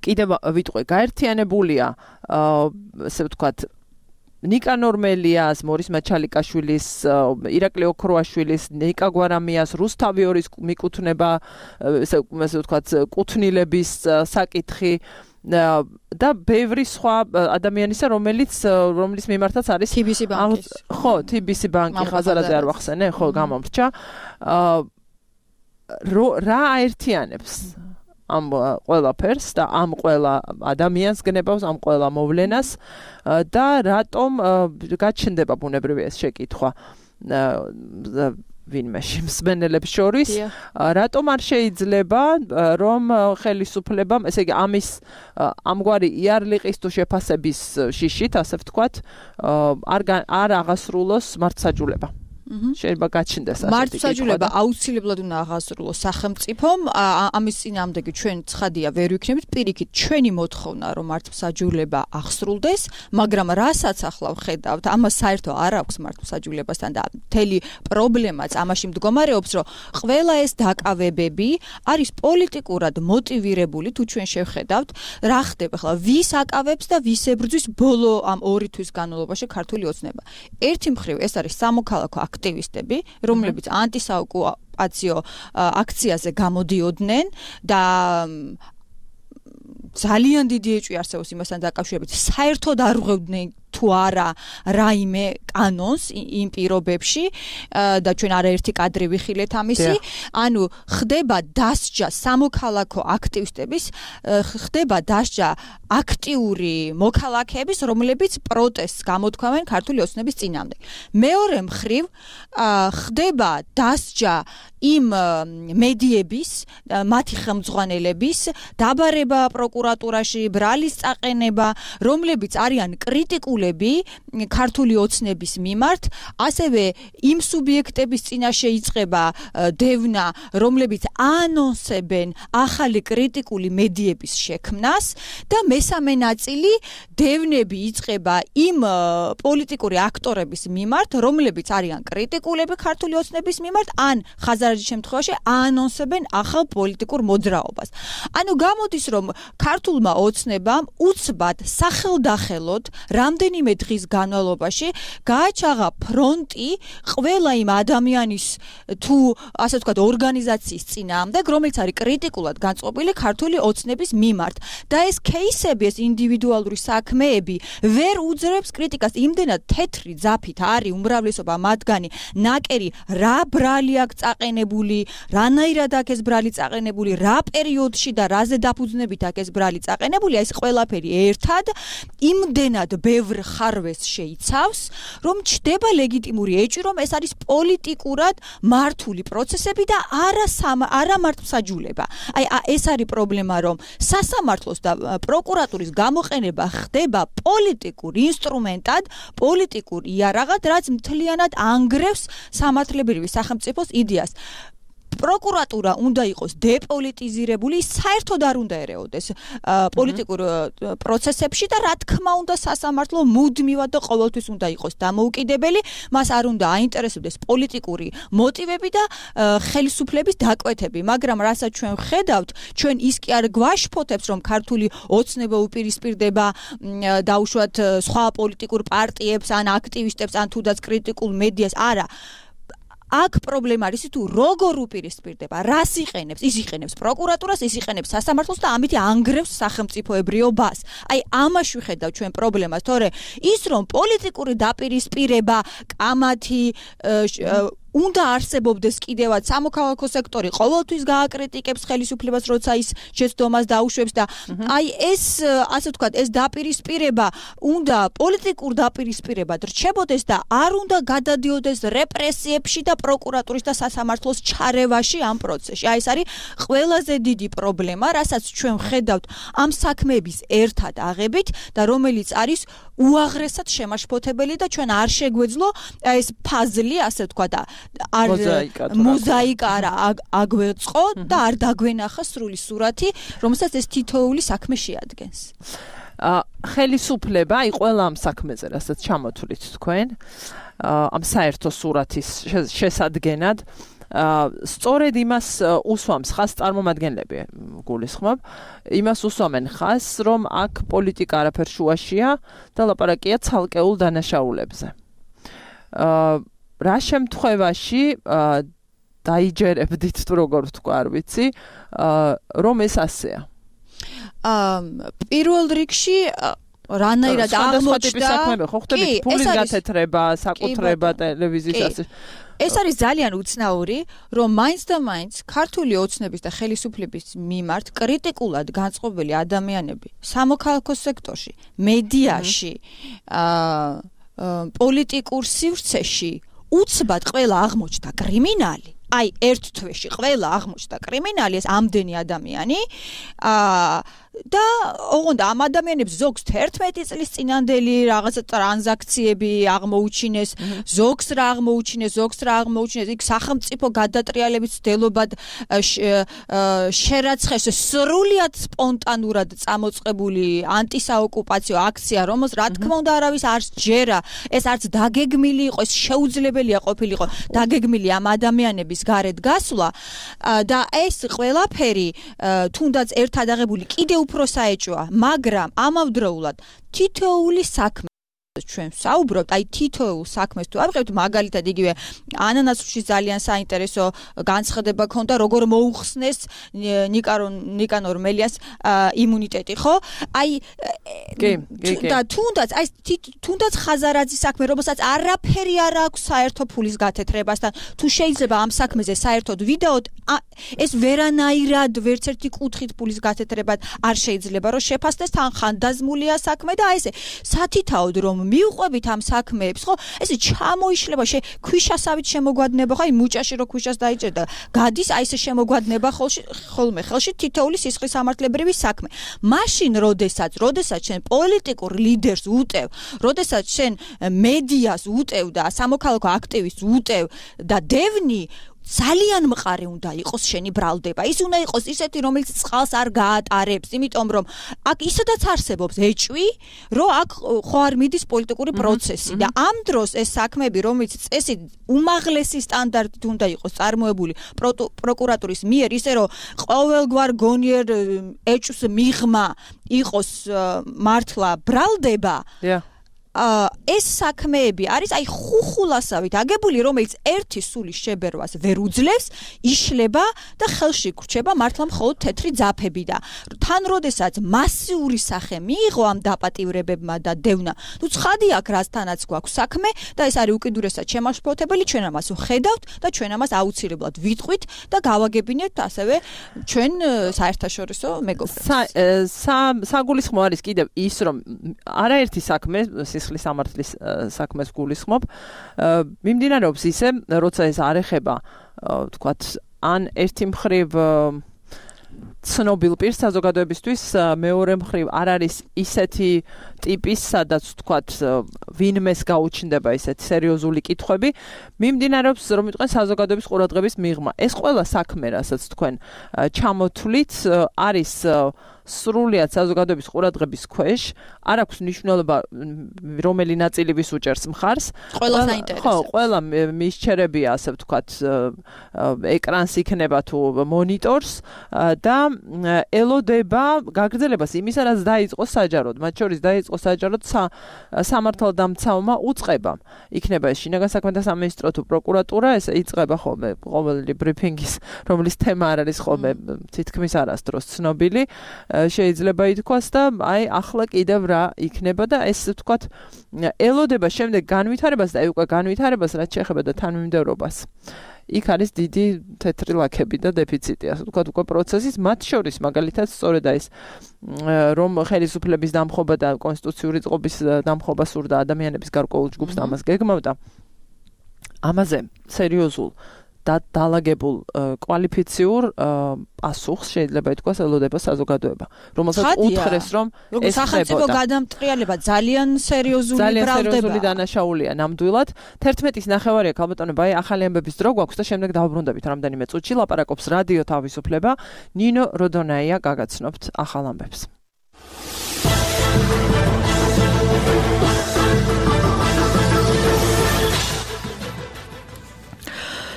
კიდევ ვიტყვი გაერთიანებულია ასე ვთქვათ ნიკანორ მელიას, მორის მაჩალიკაშვილის, ირაკლი ოქროაშვილის, ნიკა გვარამიას, რუსთავიორის მიკუთვნება, ესე ვთქვათ, კუთვნილების საკითხი და ბევრი სხვა ადამიანისა, რომელიც რომლის მიმართაც არის თიბისი ბანკის. ხო, თიბისი ბანკი ხაზარაძე არ ვახსენე, ხო, გამომრჩა. რა აერთიანებს ამ ყველაფერს და ამ ყველა ადამიანს გნებავს ამ ყველა მოვლენას და რატომ გაჩნდება ბუნებრივია ეს შეკითხვა ვინმეში მსმენელებს შორის რატომ არ შეიძლება რომ ხელისუფლებამ ესე იგი ამის ამგვარი იარლიყის თუ შეფასების შიშით ასე ვთქვათ არ არ აღასრულოს მართლმსაჯულება შეიძლება გაჩნდეს ასეთი მართლმსაჯულება აუცილებლად უნდა აღასრულოს სახელმწიფომ ამის წინააღმდეგი ჩვენ ცხადია ვერ ვიქნებით პირიქით ჩვენი მოთხოვნა რომ მართლმსაჯულება აღსრულდეს მაგრამ რასაც ახლა ვხედავთ ამას საერთო არ აქვს მართლმსაჯულებასთან და მთელი პრობლემაც ამაში მდგომარეობს რომ ყველა ეს დაკავებები არის პოლიტიკურად მოტივირებული თუ ჩვენ შევხედავთ რა ხდება ახლა ვის აკავებს და ვის ებრძვის ბოლო ამ ორი თვის განმავლობაში ქართული ოცნება ერთი მხრივ ეს არის სამოქალაქო აქტივისტები, რომლებიც ანტისაოკუპაციო აქციაზე გამოდიოდნენ და ძალიან დიდი ეჭვი არსებობს იმასთან დაკავშირებით, საერთოდ არ ღვევდნენ თუ არა რაიმე კანონს იმ პირობებში და ჩვენ არაერთი კადრი ვიხილეთ ამისი, ანუ ხდება დასჯა სამოქალაქო აქტივისტების, ხდება დასჯა აქტიური მოქალაქეების, რომლებიც პროტესტს გამოთქვამენ ქართული ოცნების წინააღმდეგ. მეორე მხრივ ხდება დასჯა იმ მედიების, მათი ხელმძღვანელების, დაბარება პროკურატურაში, ბრალის წაყენება, რომლებიც არიან კრიტიკული ქართული ოცნების მიმართ, ასევე იმ სუბიექტების წინაშე იწყება დევნა, რომლებიც ანონსებენ ახალი კრიტიკული მედიების შექმნას და მესამე ნაწილი დევნები იწყება იმ პოლიტიკური აქტორების მიმართ, რომლებიც არიან კრიტიკულები ქართული ოცნების მიმართ, ან ხაზარაჯის შემთხვევაში ანონსებენ ახალ პოლიტიკურ მოძრაობას. ანუ გამოდის, რომ ქართულმა ოცნებამ უცბად სახელდახელოდ რამდენი მე დღის განმავლობაში გააჩაღა ფრონტი ყველა იმ ადამიანის თუ ასე ვთქვათ ორგანიზაციის წინააღმდეგ, რომელიც არის კრიტიკულად განწყობილი ქართული ოცნების მიმართ და ეს кейსები, ეს ინდივიდუალური საქმეები ვერ უძრებს კრიტიკას. იმდენად თეთრი ძაფით არის უმრავლესობა მათგანი ნაკერი რა ბრალი აქვს წაყენებული, რანაირად აქვს ეს ბრალი წაყენებული, რა პერიოდში და რაზე დაფუძნებით აქვს ეს ბრალი წაყენებული, ეს ყველაფერი ერთად იმდენად ბევრ ხარვეს შეიცავს, რომ ჩდება ლეგიტიმური ეჭვი, რომ ეს არის პოლიტიკურად მართული პროცესები და არა არა მართლმსაჯულება. აი ეს არის პრობლემა, რომ სასამართლოს და პროკურატურის გამოყენება ხდება პოლიტიკურ ინსტრუმენტად, პოლიტიკურ იარაღად, რაც მთლიანად ანგრევს სამართლებრივი სახელმწიფოს იდეას. პროკურატურა უნდა იყოს დეპოლიტიზირებული, საერთოდ არ უნდა ერეოდეს პოლიტიკურ პროცესებში და რა თქმა უნდა სასამართლო მუდმივად და ყოველთვის უნდა იყოს დამოუკიდებელი, მას არ უნდა აინტერესებდეს პოლიტიკური მოტივები და ხელისუფლების დაკვეთები, მაგრამ რასაც ჩვენ ვხედავთ, ჩვენ ის კი არ გვაშფოთებს, რომ ქართული ოცნება უპირისპირდება დაუშვათ სხვა პოლიტიკურ პარტიებს ან აქტივისტებს ან თუნდაც კრიტიკულ მედიას, არა. აქ პრობლემა არის თუ როგორ უპირისპირდება, რას იყენებს, ის იყენებს პროკურატურას, ის იყენებს სასამართლოს და ამით ანგრევს სახელმწიფოებრიობას. აი ამაში ვხედავ ჩვენ პრობლემას, თორე ის რომ პოლიტიკური დაპირისპირება, კამათი უნდა არსებობდეს კიდევაც სამოქალაქო სექტორი ყოველთვის გააკრიტიკებს ხელისუფლებას, როცა ის შეცდომას დაუშვებს და აი ეს ასე ვთქვათ, ეს დაპირისპირება უნდა პოლიტიკურ დაპირისპირებად რჩებოდეს და არ უნდა გადადიოდეს რეპრესიებში და პროკურატურის და სასამართლოს ჩარევაში ამ პროცესში. აი ეს არის ყველაზე დიდი პრობლემა, რასაც ჩვენ ვხედავთ ამ საქმეების ერთად აღებით და რომელიც არის უაღრესად შემაშფოთებელი და ჩვენ არ შეგვეძლო ეს ფაზლი, ასე ვთქვათ, არ მოზაიკა არა აგვეწყო და არ დაგვენახა სრული სურათი, რომელსაც ეს თითოეული საქმე შეადგენს. ხელისუფლება, აი ყველა ამ საქმეზე, რასაც ჩამოთვლით თქვენ, ამ საერთო სურათის შესადგენად, სწორედ იმას უსვამს ხას წარმომადგენლები, გულისხმობ, იმას უსვამენ ხას, რომ აქ პოლიტიკა არაფერ შუაშია და ლაპარაკია ცალკეულ დანაშაულებზე. რა შემთხვევაში დაიჯერებდით თუ როგორ ვთქვა, არ ვიცი, რომ ეს ასეა. პირველ რიგში რანაირად აღმოჩნდა საქმეები ხო ხდებით ფულის გათეთრება, საკუთრება ტელევიზიის ასე. ეს არის ძალიან უცნაური, რომ მაინც და მაინც ქართული ოცნების და ხელისუფლების მიმართ კრიტიკულად განწყობილი ადამიანები სამოქალაქო სექტორში, მედიაში, პოლიტიკურ სივრცეში უცბად ყველა აღმოჩნდა კრიმინალი. აი ერთ თვეში ყველა აღმოჩნდა კრიმინალი, ეს ამდენი ადამიანი და ოღონდ ამ ადამიანებს ზოგს თერთმეტი წლის წინანდელი რაღაცა ტრანზაქციები აღმოუჩინეს, ზოგს რა აღმოუჩინეს, ზოგს რა აღმოუჩინეს, იქ სახელმწიფო გადატრიალების ცდილობად შერაცხეს სრულიად სპონტანურად წამოწყებული ანტისაოკუპაციო აქცია, რომელს რა თქმა უნდა არავის არ სჯერა, ეს არც დაგეგმილი იყო, ეს შეუძლებელია ყოფილიყო დაგეგმილი ამ ადამიანების გარეთ გასვლა და ეს ყველაფერი თუნდაც ერთად აღებული კიდევ უფრო საეჭვოა, მაგრამ ამავდროულად თითოეული საქმე ჩვენ საუბრობთ, აი თითოეულ საქმეს თუ ავიღებთ, მაგალითად იგივე ანანასში ძალიან საინტერესო განცხადება ქონდა, როგორ მოუხსნეს ნიკანორ მელიას იმუნიტეტი, ხო? აი და თუნდაც აი თუნდაც ხაზარაძის საქმე, რომელსაც არაფერი არ აქვს საერთო ფულის გათეთრებასთან, თუ შეიძლება ამ საქმეზე საერთოდ ვიდეოთ, ეს ვერანაირად ვერც ერთი კუთხით ფულის გათეთრებად არ შეიძლება რომ შეფასდეს, თან ხანდაზმულია საქმე და აი ესე სათითაოდ რომ მიუყვებით ამ საქმეებს, ხო? ესე ჩამოიშლება, შე ქვიშასავით შემოგვადნება, ხო? აი მუჭაში რო ქვიშას დაიჭერდა, გადის აი ესე შემოგვადნება ხოლში, ხოლმე ხელში თითოეული სისხლის სამართლებრივი საქმე. მაშინ, როდესაც, როდესაც შენ პოლიტიკურ ლიდერს უტევ, როდესაც შენ მედიას უტევ და სამოქალაქო აქტივისტს უტევ და დევნი ძალიან მყარი უნდა იყოს შენი ბრალდება. ის უნდა იყოს ისეთი, რომელიც წყალს არ გაატარებს, იმიტომ რომ აქ ისედაც არსებობს ეჭვი, რომ აქ ხო არ მიდის პოლიტიკური პროცესი და ამ დროს ეს საქმეები, რომელიც წესით უმაღლესი სტანდარტით უნდა იყოს წარმოებული პროკურატურის მიერ, ისე რომ ყოველგვარ გონიერ ეჭვს მიღმა იყოს მართლა ბრალდება, ეს საქმეები არის აი ხუხულასავით აგებული, რომელიც ერთი სულის შებერვას ვერ უძლევს, იშლება და ხელში გრჩება მართლა მხოლოდ თეთრი ძაფები და თან როდესაც მასიური სახე მიიღო ამ დაპატივრებებმა და დევნა, ნუ ცხადი აქ რასთანაც გვაქვს საქმე და ეს არის უკიდურესად შემაშფოთებელი, ჩვენ ამას ვხედავთ და ჩვენ ამას აუცილებლად ვიტყვით და გავაგებინებთ ასევე ჩვენ საერთაშორისო მეგობრებს. საგულისხმო არის კიდევ ის, რომ არაერთი საქმე სისხლის სამართლის საქმეს გულისხმობ, მიმდინარეობს ისე, როცა ეს არ ეხება, ვთქვათ, ან ერთი მხრივ ცნობილ პირს საზოგადოებისთვის მეორე მხრივ არ არის ისეთი ტიპის, სადაც თქვათ ვინმეს გაუჩნდება ისეთი სერიოზული კითხვები, მიმდინარეობს რომ ვიტყვენ საზოგადოების ყურადღების მიღმა. ეს ყველა საქმე, რასაც თქვენ ჩამოთვლით, არის სრულიად საზოგადოების ყურადღების ქვეშ, არ აქვს მნიშვნელობა რომელი ნაწილი ვის უჭერს მხარს. ყველა საინტერესებს. ხო, ყველა მისჩერებია, ასე ვთქვათ, ეკრანს იქნება თუ მონიტორს და ელოდება გაგრძელებას იმისა, რაც დაიწყო საჯაროდ. მათ შორის დაიწყო საჯაროდ სამართალდამცავმა უწყებამ. იქნება ეს შინაგან საქმეთა სამინისტრო თუ პროკურატურა, ეს იწყება ხოლმე ყოველი ბრიფინგის, რომლის თემა არ არის ხოლმე თითქმის არასდროს ცნობილი. შეიძლება ითქვას და აი ახლა კიდევ რა იქნება და ეს ვთქვათ ელოდება შემდეგ განვითარებას და აი უკვე განვითარებას რაც შეეხება და თანმიმდევრობას. იქ არის დიდი თეთრი ლაქები და დეფიციტი, ასე ვთქვათ, უკვე პროცესის, მათ შორის მაგალითად სწორედ ეს რომ ხელისუფლების დამხობა და კონსტიტუციური წყობის დამხობა სურდა ადამიანების გარკვეულ ჯგუფს და ამას გეგმავდა. ამაზე სერიოზულ და დაალაგებულ კვალიფიციურ პასუხს შეიძლება ითქვას ელოდება საზოგადოება, რომელსაც უთხრეს რომ ეს სახელმწიფო გადამტრიალება ძალიან სერიოზული ბრალდება. ძალიან სერიოზული დანაშაულია ნამდვილად. თერთმეტის ნახევარია ქალბატონებო, აი ახალი ამბების დრო გვაქვს და შემდეგ დავბრუნდებით რამდენიმე წუთში. ლაპარაკობს რადიო თავისუფლება. ნინო როდონაია გაგაცნობთ ახალ ამბებს.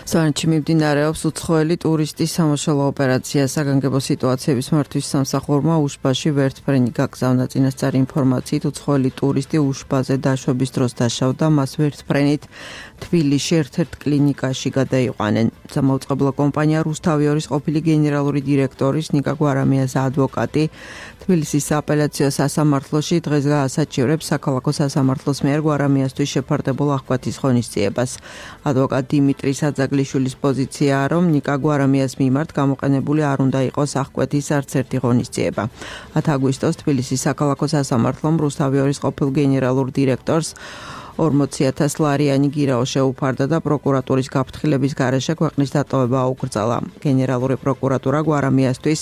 სვანეთში მიმდინარეობს უცხოელი ტურისტის სამოშალო ოპერაცია. საგანგებო სიტუაციების მართვის სამსახურმა უშბაში ვერტფრენი გაგზავნა. წინასწარი ინფორმაციით უცხოელი ტურისტი უშბაზე დაშვების დროს დაშავდა, მას ვერტფრენით თბილისში ერთ-ერთ კლინიკაში გადაიყვანენ. სამაუწყებლო კომპანია რუსთავიორის ყოფილი გენერალური დირექტორის ნიკა გვარამიას ადვოკატი თბილისის სააპელაციო სასამართლოში დღეს გაასაჩივრებს საქალაქო სასამართლოს მიერ გვარამიასთვის შეფარდებულ აღკვეთის ღონისძიებას. ადვოკატ დიმიტრი საძაგლიშვილის პოზიციაა, რომ ნიკა გვარამიას მიმართ გამოყენებული არ უნდა იყოს აღკვეთის არც ერთი ღონისძიება. ათი აგვისტოს თბილისის საქალაქო სასამართლომ რუსთავიორის ყოფილ გენერალურ დირექტორს ორმოცი ათას ლარიანი გირაო შეუფარდა და პროკურატურის გაფრთხილების გარეშე ქვეყნის დატოვება აუკრძალა. გენერალური პროკურატურა გვარამიასთვის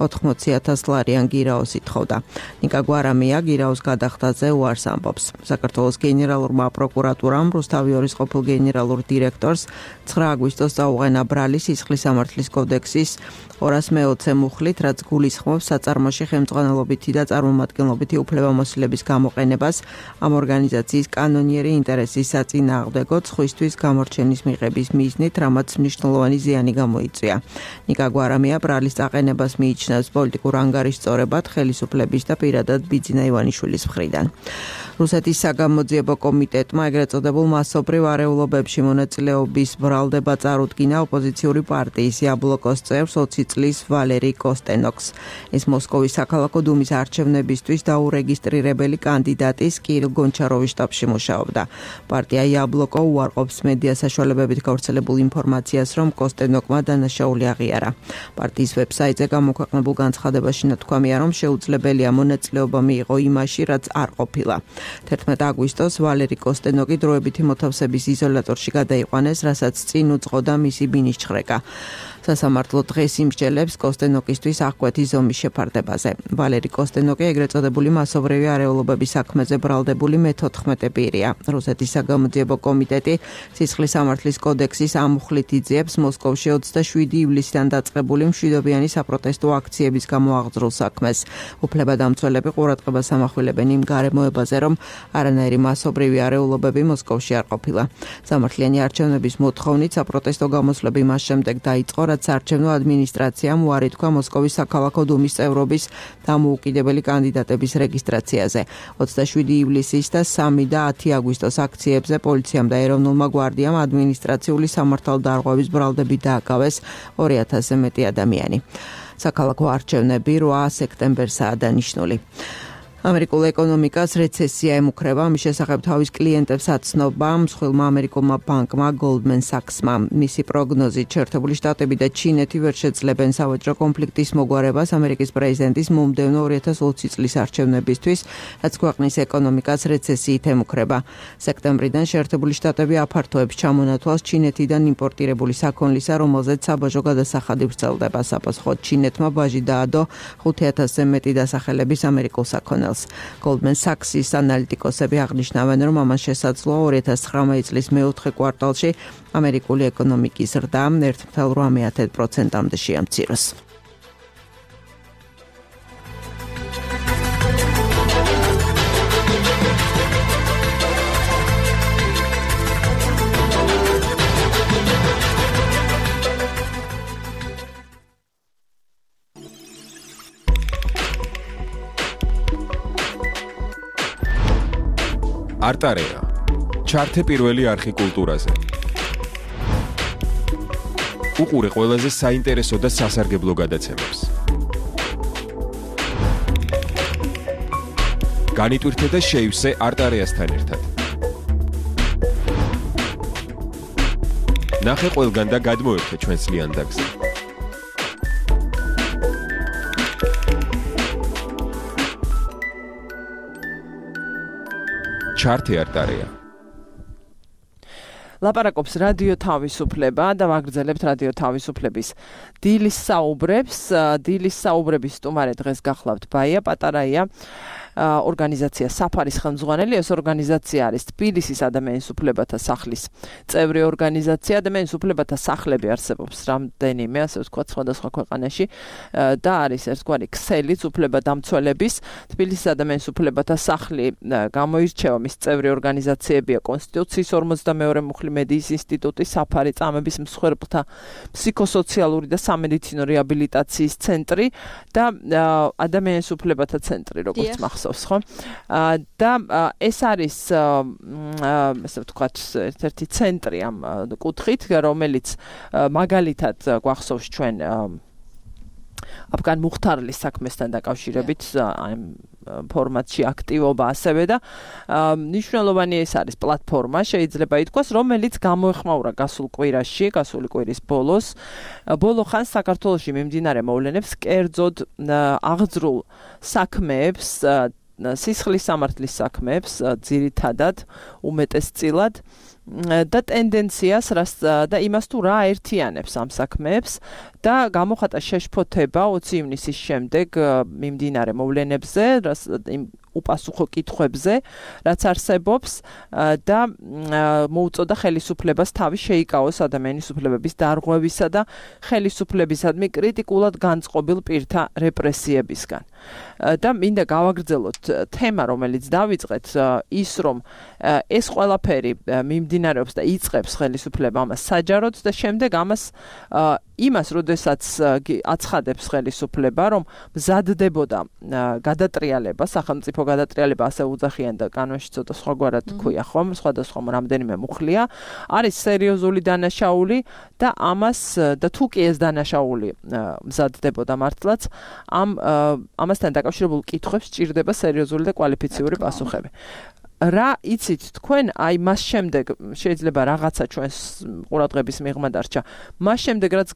ოთხმოცი ათას ლარიან გირაოს ითხოვდა. ნიკა გვარამია გირაოს გადახდაზე უარს ამბობს. საქართველოს გენერალურმა პროკურატურამ რუსთავიორის ყოფილ გენერალურ დირექტორს ცხრა აგვისტოს წაუყენა ბრალი სისხლის სამართლის კოდექსის ორას მეოცე მუხლით, რაც გულისხმობს საწარმოში ხელმძღვანელობითი და წარმომადგენლობითი უფლებამოსილების გამოყენებას ამ ორგანიზაციის კანონიერი ინტერესის საწინააღმდეგოდ სხვისთვის გამორჩენის მიღების მიზნით, რამაც მნიშვნელოვანი ზიანი გამოიწვია. ნიკა გვარამია ბრალის წაყენებას მიიჩნევს პოლიტიკურ ანგარიშწორებად ხელისუფლების და პირადად ბიძინა ივანიშვილის მხრიდან. რუსეთის საგამოძიებო კომიტეტმა ეგრეთ წოდებულ მასობრივ არეულობებში მონაწილეობის ბრალდება წარუდგინა ოპოზიციური პარტიის იაბლოკოს წევრს ოცი წლის ვალერი კოსტენოკს. ეს მოსკოვის საქალაქო დუმის არჩევნებისთვის დაურეგისტრირებელი კანდიდატის კირილ გონჩაროვის შტაბში მუშაობდა. პარტია იაბლოკო უარყოფს მედია საშუალებებით გავრცელებულ ინფორმაციას, რომ კოსტენოკმა დანაშაული აღიარა. პარტიის ვებსაიტზე გამოქვეყნებულ განცხადებაში ნათქვამია, რომ შეუძლებელია მონაწილეობა მიიღო იმაში, რაც არ ყოფილა. თერთმეტი აგვისტოს ვალერი კოსტენოკი დროებითი მოთავსების იზოლატორში გადაიყვანეს, რასაც წინ უძღოდა მისი ბინის ჩხრეკა. სასამართლო დღეს იმსჯელებს კოსტენოკისთვის აღკვეთის ზომის შეფარდებაზე. ვალერი კოსტენოკი ეგრეთ წოდებული მასობრივი არეულობების საქმეზე ბრალდებული მეთოთხმეტე პირია. რუსეთის საგამოძიებო კომიტეტი სისხლის სამართლის კოდექსის ამ მუხლით იძიებს მოსკოვში ოცდაშვიდი ივლისიდან დაწყებული მშვიდობიანი საპროტესტო აქციების გამო აღძრულ საქმეს. უფლებადამცველები ყურადღებას ამახვილებენ იმ გარემოებაზე, რომ არანაირი მასობრივი არეულობები მოსკოვში არ ყოფილა. სამართლიანი არჩევნების მოთხოვნით საპროტესტო გამოსვლები მას შემდეგ დაიწყო, რაც საარჩევნო ადმინისტრაციამ უარი თქვა მოსკოვის საქალაქო დუმის წევრობის დამოუკიდებელი კანდიდატების რეგისტრაციაზე. ოცდაშვიდი ივლისის და სამი და ათი აგვისტოს აქციებზე პოლიციამ და ეროვნულმა გვარდიამ ადმინისტრაციული სამართალდარღვევის ბრალდები დააკავეს ორი ათასზე მეტი ადამიანი. საქალაქო არჩევნები რვა სექტემბერსაა დანიშნული. ამერიკულ ეკონომიკას რეცესია ემუქრება, მის შესახებ თავის კლიენტებს აცნობა მსხვილმა ამერიკულმა ბანკმა Goldman Sachs-მა. მისი პროგნოზით შეერთებული შტატები და ჩინეთი ვერ შეძლებენ სავაჭრო კონფლიქტის მოგვარებას ამერიკის პრეზიდენტის მომდევნო ორი ათას ოცი წლის არჩევნებისთვის, რაც ქვეყნის ეკონომიკას რეცესიით ემუქრება. სექტემბრიდან შეერთებული შტატები აფართოებს ჩამონათვალს ჩინეთიდან იმპორტირებული საქონლისა, რომელზეც საბაჟო გადასახადი ვრცელდება. საპასუხოდ ჩინეთმა ბაჟი დაადო ხუთი ათასზე მეტი დასახელების ამერიკულ საქონელს. Goldman Sachs-ის ანალიტიკოსები აღნიშნავენ, რომ ამან შესაძლოა ორი ათას ცხრამეტი წლის მეოთხე კვარტალში ამერიკული ეკონომიკის ზრდა ერთ წუთი რამე პროცენტამდე შეამციროს. არტარეა. ჩართე პირველი არხი კულტურაზე. უყურე ყველაზე საინტერესო და სასარგებლო გადაცემებს. განიტვირთე და შეივსე არტარეასთან ერთად. ნახე ყველგან და გადმოერთე ჩვენს ლიანდაგზე. ჩართე არტარეა. ლაპარაკობს რადიო თავისუფლება და ვაგრძელებთ რადიო თავისუფლების დილის საუბრებს. დილის საუბრების სტუმარი დღეს გახლავთ ბაია პატარაია, ორგანიზაცია საფარის ხელმძღვანელი. ეს ორგანიზაცია არის თბილისის ადამიანის უფლებათა სახლის წევრი ორგანიზაცია. ადამიანის უფლებათა სახლები არსებობს რამდენიმე, ასე ვთქვათ, სხვადასხვა ქვეყანაში და არის ერთგვარი ქსელიც უფლებადამცველების. თბილისის ადამიანის უფლებათა სახლი გამოირჩევა, მის წევრი ორგანიზაციებია კონსტიტუციის ორმოცდამეორე მუხლი მედიის ინსტიტუტი, საფარი წამების მსხვერპლთა ფსიქოსოციალური და სამედიცინო რეაბილიტაციის ცენტრი და ადამიანის უფლებათა ცენტრი, როგორც მახსოვს. ხო? და ეს არის ასე ვთქვათ, ერთ-ერთი ცენტრი ამ კუთხით, რომელიც მაგალითად გვახსოვს ჩვენ აფგან მუხთარლის საქმესთან დაკავშირებით ამ ფორმატში აქტივობა ასევე და მნიშვნელოვანი ეს არის პლატფორმა, შეიძლება ითქვას, რომელიც გამოეხმაურა გასულ კვირაში, გასული კვირის ბოლოს. ბოლო ხანს საქართველოში მიმდინარე მოვლენებს, კერძოდ აღძრულ საქმეებს, სისხლის სამართლის საქმეებს ძირითადად უმეტესწილად და ტენდენციას და იმას თუ რა აერთიანებს ამ საქმეებს და გამოხატა შეშფოთება ოცი ივნისის შემდეგ მიმდინარე მოვლენებზე, იმ უპასუხო კითხვებზე, რაც არსებობს და მოუწოდა ხელისუფლებას თავი შეიკავოს ადამიანის უფლებების დარღვევისა და ხელისუფლებისადმი კრიტიკულად განწყობილ პირთა რეპრესიებისგან. და მინდა გავაგრძელოთ თემა, რომელიც დავიწყეთ, ის რომ ეს ყველაფერი მიმდინარეობს და იწყებს ხელისუფლება ამას საჯაროდ და შემდეგ ამას იმას, როდესაც აცხადებს ხელისუფლება, რომ მზადდებოდა გადატრიალება, სახელმწიფო გადატრიალება, ასე უძახიან და კანონში ცოტა სხვაგვარად ქვია, ხომ, სხვადასხვა რამდენიმე მუხლია, არის სერიოზული დანაშაული და ამას და თუ კი ეს დანაშაული მზადდებოდა მართლაც, ამ ამასთან დაკავშირებულ კითხვებს სჭირდება სერიოზული და კვალიფიციური პასუხები. რა იცით თქვენ, აი მას შემდეგ შეიძლება რაღაცა ჩვენს ყურადღების მიღმა დარჩა. მას შემდეგ რაც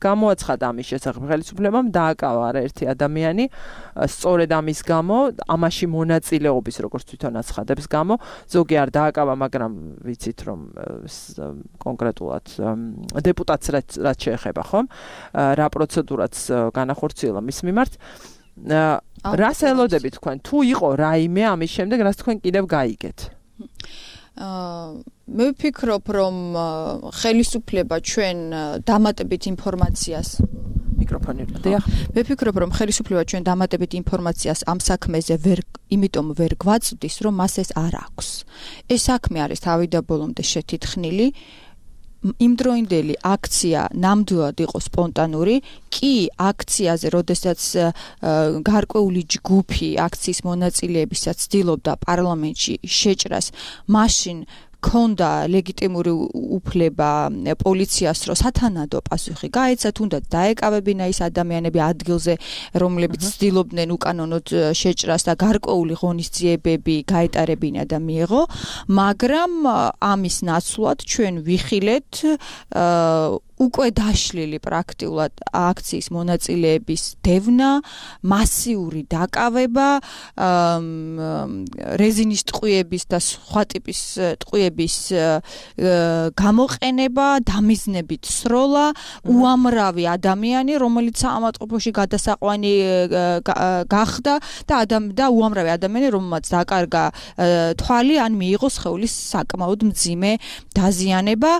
გამოაცხადა ამის შესახებ ხელისუფლებამ, დააკავა არაერთი ადამიანი, სწორედ ამის გამო, ამაში მონაწილეობის, როგორც თვითონ აცხადებს გამო, ზოგი არ დააკავა, მაგრამ ვიცით რომ კონკრეტულად დეპუტატს რაც შეეხება, ხომ? რა პროცედურაც განახორციელა მის მიმართ. რას ელოდებით თქვენ? თუ იყო რაიმე ამის შემდეგ, რას თქვენ კიდევ გაიგეთ? მე ვფიქრობ, რომ ხელისუფლება ჩვენ დამატებით ინფორმაციას მიკროფონი დიახ. მე ვფიქრობ, რომ ხელისუფლება ჩვენ დამატებით ინფორმაციას ამ საქმეზე ვერ იმიტომ ვერ გვაწვდის, რომ მას ეს არ აქვს. ეს საქმე არის თავიდაბოლომდე შეთითხნილი. იმდროინდელი აქცია ნამდვილად იყო სპონტანური, კი აქციაზე, როდესაც გარკვეული ჯგუფი აქციის მონაწილეებისაც ცდილობდა პარლამენტში შეჭრას, მაშინ ქონდა ლეგიტიმური უფლება პოლიციას რომ სათანადო პასუხი გაეცა, თუნდაც დაეკავებინა ის ადამიანები ადგილზე, რომლებიც ცდილობდნენ უკანონოდ შეჭრას და გარკვეული ღონისძიებები გაეტარებინა და მიეღო, მაგრამ ამის ნაცვლად ჩვენ ვიხილეთ უკვე დაშლილი პრაქტიკულად აქციის მონაწილეების დევნა, მასიური დაკავება, რეზინის ტყვიების და სხვა ტიპის ტყვიების გამოყენება, დამიზნებით სროლა, უამრავი ადამიანი, რომელიც საავადმყოფოში გადასაყვანი გახდა და ადამ და უამრავი ადამიანი, რომელმაც დაკარგა თვალი, ან მიიღო სხეულის საკმაოდ მძიმე დაზიანება.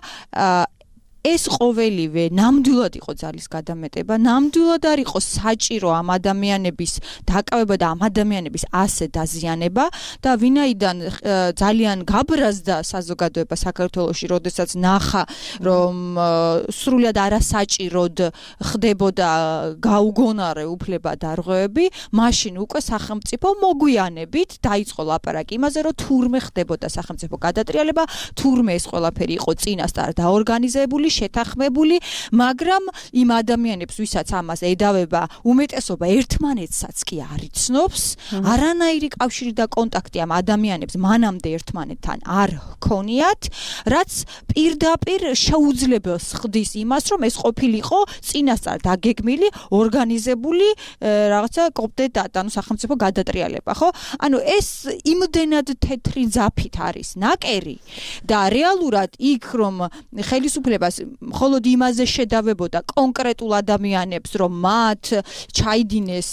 ეს ყოველივე ნამდვილად იყო ძალის გადამეტება, ნამდვილად არ იყო საჭირო ამ ადამიანების დაკავება და ამ ადამიანების ასე დაზიანება და ვინაიდან ძალიან გაბრაზდა საზოგადოება საქართველოში, როდესაც ნახა, რომ სრულად არასაჭიროდ ხდებოდა გაუგონარე უფლება დარღვევები, მაშინ უკვე სახელმწიფო მოგვიანებით დაიწყო ლაპარაკი იმაზე, რომ თურმე ხდებოდა სახელმწიფო გადატრიალება, თურმე ეს ყველაფერი იყო წინასწარ დაორგანიზებული, შეთანხმებული, მაგრამ იმ ადამიანებს, ვისაც ამას ედავება, უმეტესობა ერთმანეთსაც კი არ იცნობს, არანაირი კავშირი და კონტაქტი ამ ადამიანებს მანამდე ერთმანეთთან არ ჰქონიათ, რაც პირდაპირ შეუძლებელს ხდის იმას, რომ ეს ყოფილიყო წინასწარ დაგეგმილი, ორგანიზებული რაღაცა კომპლეტად, ანუ სახელმწიფო გადატრიალება, ხო? ანუ ეს იმდენად თეთრი ძაფით არის ნაკერი და რეალურად იქ რომ ხელისუფლებას მხოლოდ იმაზე შედავებოდა კონკრეტულ ადამიანებს, რომ მათ ჩაიდინეს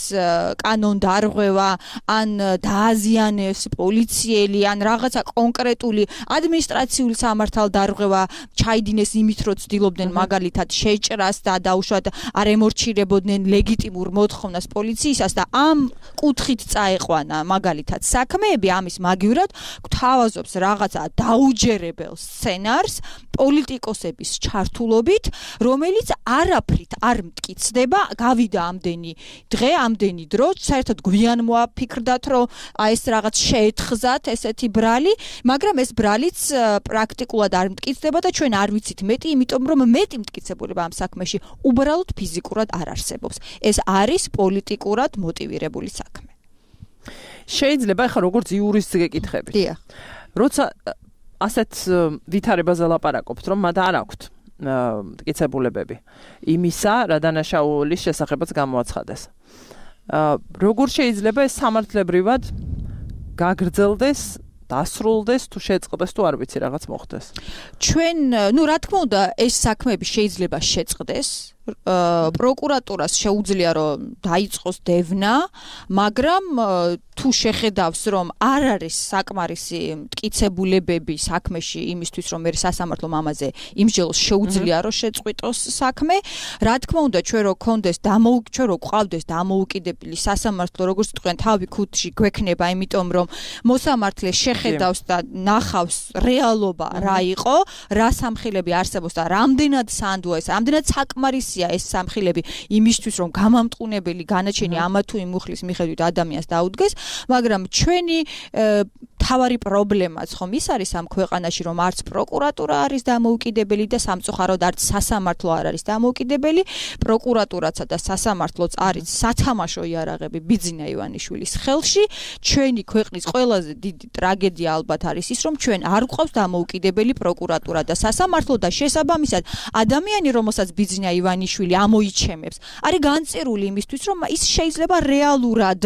კანონდარღვევა, ან დააზიანეს პოლიციელი, ან რაღაცა კონკრეტული ადმინისტრაციული სამართალდარღვევა ჩაიდინეს იმით, რომ ცდილობდნენ მაგალითად შეჭრას და დაუშვათ არ ემორჩილებოდნენ ლეგიტიმურ მოთხოვნას პოლიციისას და ამ კუთხით წაეყვანა მაგალითად საქმეები, ამის მაგივრად გვთავაზობს რაღაცა დაუჯერებელ სცენარს პოლიტიკოსების ჩართულობით, რომელიც არაფრით არ მტკიცდება, გავიდა ამდენი დღე, ამდენი დრო, საერთოდ გვიან მოაფიქრდათ, რომ აი ეს რაღაც შეეთხზათ ესეთი ბრალი, მაგრამ ეს ბრალიც პრაქტიკულად არ მტკიცდება და ჩვენ არ ვიცით მეტი, იმიტომ რომ მეტი მტკიცებულება ამ საქმეში უბრალოდ ფიზიკურად არ არსებობს. ეს არის პოლიტიკურად მოტივირებული საქმე. შეიძლება ახლა როგორც იურისტს გეკითხებით. დიახ. როცა ასეთ ვითარებაზე ლაპარაკობთ, რომ მათ არ აქვთ მტკიცებულებები იმისა, რა დანაშაულის შესახებაც გამოაცხადეს. როგორ შეიძლება ეს სამართლებრივად გაგრძელდეს, დასრულდეს, თუ შეწყდეს, თუ არ ვიცი, რაღაც მოხდეს? ჩვენ, ну, რა თქმა უნდა, ეს საქმეები შეიძლება შეწყდეს. პროკურატურას შეუძლია რომ დაიწყოს დევნა, მაგრამ თუ შეხედავს რომ არ არის საკმარისი მტკიცებულებები საქმეში იმისთვის რომ მე სასამართლომ ამაზე იმსჯელოს შეუძლია რომ შეწყვიტოს საქმე, რა თქმა უნდა ჩვენ რო კონდეს დამოუკიდებელი, რო ყავდეს დამოუკიდებელი სასამართლო, როგორც თქვენ თავი ქუდში გვექნება, იმიტომ რომ მოსამართლე შეხედავს და ნახავს რეალობა რა იყო, რა სამხილები არსებობს და რამდენად სანდოა ეს, რამდენად საკმარისი ეს სამხილები იმისთვის რომ გამამტყუნებელი განაჩენი ამა თუ იმ მუხლის მიხედვით ადამიანს დაუდგეს, მაგრამ ჩვენი თავარი პრობლემაც ხომ ის არის ამ ქვეყანაში, რომ არც პროკურატურა არის დამოუკიდებელი და სამწუხაროდ არც სასამართლო არ არის დამოუკიდებელი, პროკურატურაცა და სასამართლოც არის სათამაშო იარაღები ბიძინა ივანიშვილის ხელში. ჩვენი ქვეყნის ყველაზე დიდი ტრაგედია ალბათ არის ის, რომ ჩვენ არ გვყავს დამოუკიდებელი პროკურატურა და სასამართლო და შესაბამისად ადამიანი, რომელსაც ბიძინა ივანიშვილი ამოიჩემებს, არის განწერული იმისთვის, რომ ის შეიძლება რეალურად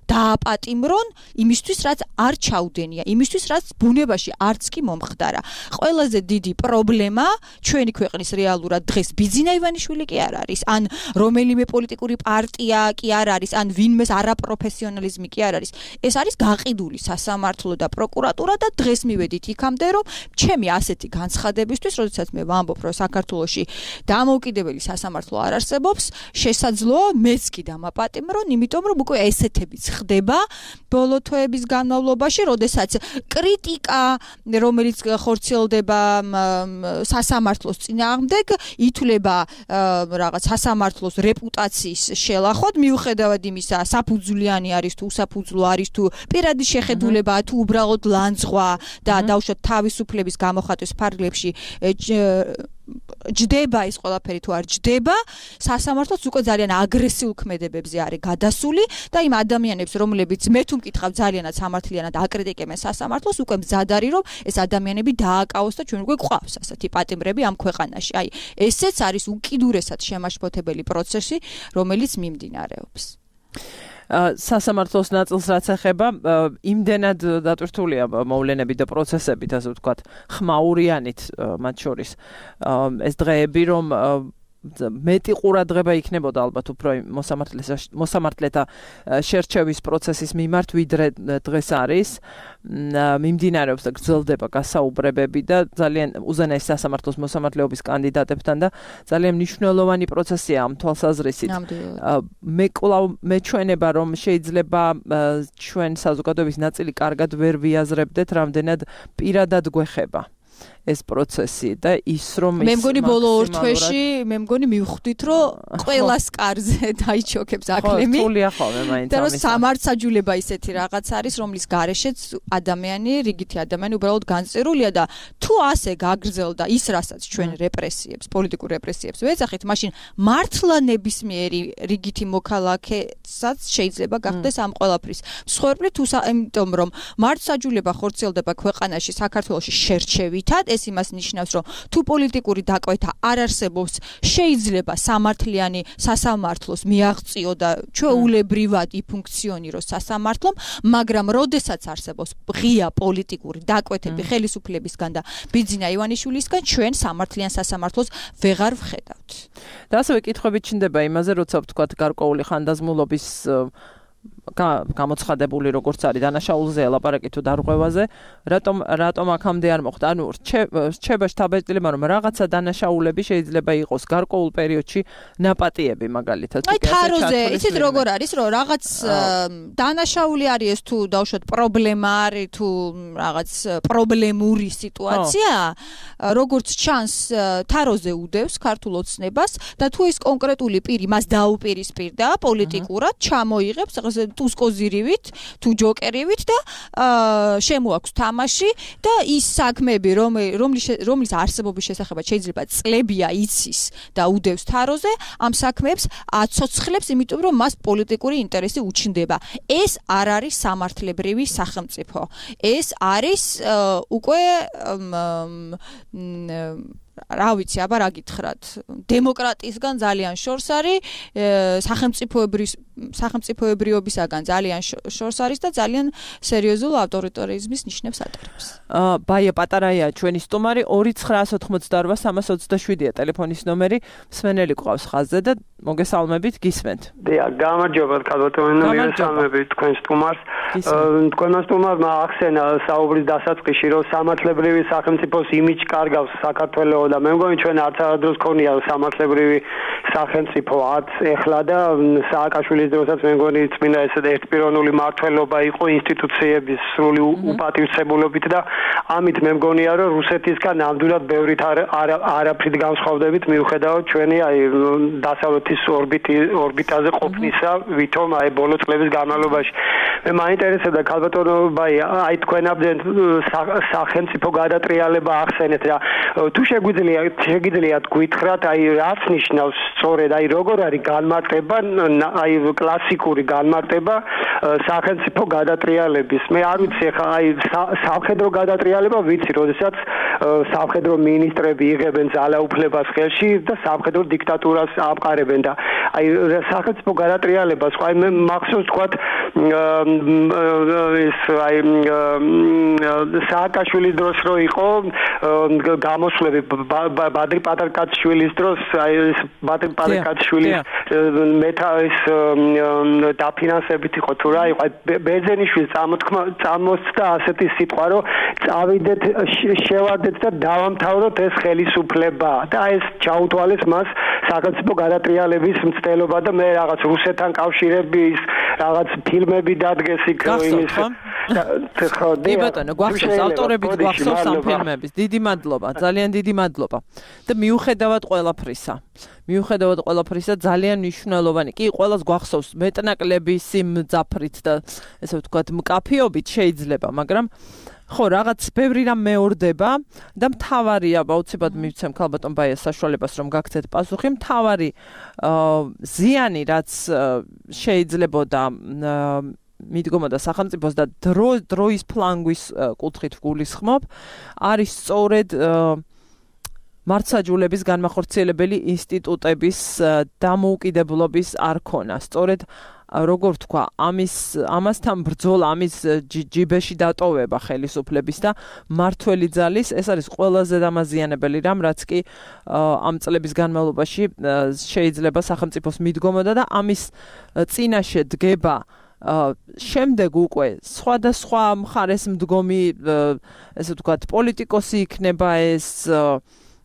დააპატიმრონ იმისთვის, რაც არ ჩაუდენია, იმისთვის, რაც ბუნებაში არც კი მომხდარა. ყველაზე დიდი პრობლემა ჩვენი ქვეყნის რეალურად დღეს ბიძინა ივანიშვილი კი არ არის, ან რომელიმე პოლიტიკური პარტია კი არ არის, ან ვინმეს არაპროფესიონალიზმი კი არ არის. ეს არის გაყიდული სასამართლო და პროკურატურა და დღეს მივედით იქამდე, რომ ჩემი ასეთი განცხადებისთვის, როდესაც მე ვამბობ, რომ საქართველოში დამოუკიდებელი სასამართლო არ არსებობს, შესაძლოა მეც კი დამაპატიმრონ, იმიტომ რომ უკვე ესეთებიც ხდება ბოლო თვეების განმავლობაში, როდესაც კრიტიკა, რომელიც ხორციელდება სასამართლოს წინააღმდეგ, ითვლება რაღაც სასამართლოს რეპუტაციის შელახვად, მიუხედავად იმისა, საფუძვლიანი არის თუ უსაფუძვლო არის თუ პირადი შეხედულებაა თუ უბრალოდ ლანძღვა და დაუშვათ თავისუფლების გამოხატვის ფარგლებში ჯდება ის ყველაფერი თუ არ ჯდება, სასამართლოც უკვე ძალიან აგრესიულ ქმედებებზე არის გადასული და იმ ადამიანებს, რომლებიც მე თუ მკითხავ ძალიანად სამართლიანად აკრიტიკებენ სასამართლოს, უკვე მზად არის, რომ ეს ადამიანები დააკავოს და ჩვენ უკვე გვყავს ასეთი პატიმრები ამ ქვეყანაში. აი, ესეც არის უკიდურესად შემაშფოთებელი პროცესი, რომელიც მიმდინარეობს. სასამართლოს ნაწილს რაც ეხება, იმდენად დატვირთულია მოვლენები და პროცესები, ასე ვთქვათ, ხმაურიანით მათ შორის ეს დღეები, რომ მეტი ყურადღება იქნებოდა ალბათ უფრო მოსამართლეთა შერჩევის პროცესის მიმართ, ვიდრე დღეს არის. მიმდინარეობს და გრძელდება გასაუბრებები და ძალიან უზენაეს სასამართლოს მოსამართლეობის კანდიდატებთან და ძალიან მნიშვნელოვანი პროცესია ამ თვალსაზრისით. მე კვლავ მეჩვენება, რომ შეიძლება ჩვენ საზოგადოების ნაწილი კარგად ვერ ვიაზრებდეთ, რამდენად პირადად გვეხება ეს პროცესი და ის რომ მე მგონი ბოლო ორ თვეში მე მგონი მივხვდით რომ ყველას კარზე დაიჩოქებს აკლემი. ხო, თულია ხოლმე მაინც ამის. და რომ სამართსაჯულება ისეთი რაღაც არის, რომლის გარეშეც ადამიანი, რიგითი ადამიანი უბრალოდ განწერულია და თუ ასე გაგრძელდა ის, რასაც ჩვენ რეპრესიებს, პოლიტიკურ რეპრესიებს ვეძახით, მაშინ მართლა ნებისმიერი რიგითი მოქალაქესაც შეიძლება გახდეს ამ ყველაფრის მსხვერპლი, თუ იმიტომ რომ მართსაჯულება ხორციელდება ქვეყანაში, საქართველოში შერჩევითად, ეს იმას ნიშნავს, რომ თუ პოლიტიკური დაკვეთა არ არსებობს, შეიძლება სამართლიანი სასამართლოს მიაღწიო და ჩვეულებრივად იფუნქციონიროს სასამართლომ, მაგრამ როდესაც არსებობს ღია პოლიტიკური დაკვეთები ხელისუფლებისგან და ბიძინა ივანიშვილისგან, ჩვენ სამართლიან სასამართლოს ვეღარ ვხედავთ. და ასევე კითხვები ჩნდება იმაზე, როცა ვთქვათ გარკვეული ხანდაზმულობის გამოცხადებული როგორც არის დანაშაულზე ელაპარაკი თუ დარღვევაზე, რატომ რატომ აქამდე არ მოხდა? ანუ რჩება შთაბეჭდილება, რომ რაღაცა დანაშაულები შეიძლება იყოს გარკვეულ პერიოდში ნაპატიები მაგალითად. აი თაროზე, იცით როგორ არის, რომ რაღაც დანაშაული არის ეს თუ დავუშვათ პრობლემა არის თუ რაღაც პრობლემური სიტუაცია, როგორც ჩანს თაროზე უდევს ქართულ ოცნებას და თუ ის კონკრეტული პირი მას დაუპირისპირდა პოლიტიკურად, ჩამოიღებს თუ სკოზირივით, თუ ჯოკერივით და შემოაქვს თამაში და ის საქმეები, რომლის არსებობის შესახებაც შეიძლება წლებია იცის და უდევს თაროზე, ამ საქმეებს აცოცხლებს, იმიტომ რომ მას პოლიტიკური ინტერესი უჩნდება. ეს არ არის სამართლებრივი სახელმწიფო. ეს არის უკვე რა ვიცი, აბა რა გითხრათ, დემოკრატიისგან ძალიან შორს არის, სახელმწიფოებრივ სახელმწიფოებრიობისაგან ძალიან შორს არის და ძალიან სერიოზულ ავტორიტარიზმის ნიშნებს ატარებს. ბაია პატარაია ჩვენი სტუმარი ორი ცხრაას ოთხმოცდაორვა სამას ოცდაშვიდია ტელეფონის ნომერი, მსმენელი გვყავს ხაზზე და მოგესალმებით, გისმენთ. დიახ, გამარჯობა, ქალბატონო, მოგესალმებით თქვენ სტუმარს. თქვენმა სტუმარმა ახსენა საუბრის დასაწყისში, რომ სამართლებრივი სახელმწიფოს იმიჯი კარგავს საქართველოს და მე მგონი ჩვენ არც არადროს ქონია სამართლებრივი სახელმწიფო არც ეხლა და სააკაშვილის დროსაც მე მგონი წმინდა ესე ერთპიროვნული მართლობა იყო ინსტიტუციების სრული უპატივცემულობით და ამით მე მგონია რომ რუსეთისგან ნამდვილად ბევრით არაფრით განსხვავდებით მიუხედავად ჩვენი აი დასავლეთის ორბიტი ორბიტაზე ყოფნისა ვითომ აი ბოლო წლების განმავლობაში მე მაინტერესებდა ქალბატონო ბაი აი თქვენამდე სახელმწიფო გადატრიალება ახსენეთ რა თუ შეგვიძლია შეგიძლიათ გითხრათ აი რაც ნიშნავს სწორედ აი როგორ არის განმარტება აი კლასიკური განმარტება სახელმწიფო გადატრიალების მე არ ვიცი ხა აი სამხედრო გადატრიალება ვიცი როდესაც სამხედრო მინისტრები იღებენ ძალაუფლებას ხელში და სამხედრო დიქტატურას აპყარებენ და აი სახელმწიფო გადატრიალებას ხო აი მე მახსოვს თქვათ ეს აი სააკაშვილის დროს რო იყო გამოსვლები ბადრი პატარკაცშვილის დროს აი ეს ბადრი პატარკაცშვილის მეთა ეს დაფინანსებით იყო თუ რა იყო ბერძენიშვილს წამოთქმა წამოსცა ასეთი სიტყვა რომ წავიდეთ შევარდეთ გავხდეთ და დავამთავროთ ეს ხელისუფლება და ეს ჩაუთვალეს მას სახელმწიფო გადატრიალების მცდელობა და მე რაღაც რუსეთთან კავშირების რაღაც ფილმები დადგეს იქ იმის ხო დიბატონო გვახსოვს ავტორები გვახსოვს ამ ფილმების დიდი მადლობა ძალიან დიდი მადლობა და მიუხედავად ყველაფრისა მიუხედავად ყველაფრისა ძალიან მნიშვნელოვანი კი ყველას გვახსოვს მეტნაკლები სიმძაფრით და ესე ვთქვათ მკაფიობით შეიძლება მაგრამ ხო რაღაც ბევრი რამ მეორდება და მთავარია აუცილებლად მივცემ ქალბატონ ბაიას საშუალებას რომ გაგცეთ პასუხი მთავარი ზიანი რაც შეიძლებოდა მიდგომოდა სახელმწიფოს და დრო დროის ფლანგვის კუთხით ვგულისხმობ არის სწორედ მართლმსაჯულების განმახორციელებელი ინსტიტუტების დამოუკიდებლობის არქონა სწორედ როგორ თქვა ამის ამასთან ბრძოლა ამის ჯიბეში დატოვება ხელისუფლების და მართველი ძალის ეს არის ყველაზე დამაზიანებელი რამ რაც კი ამ წლების განმავლობაში შეიძლება სახელმწიფოს მიდგომოდა და ამის წინაშე დგება შემდეგ უკვე სხვადასხვა მხარეს მდგომი ესე ვთქვათ პოლიტიკოსი იქნება ეს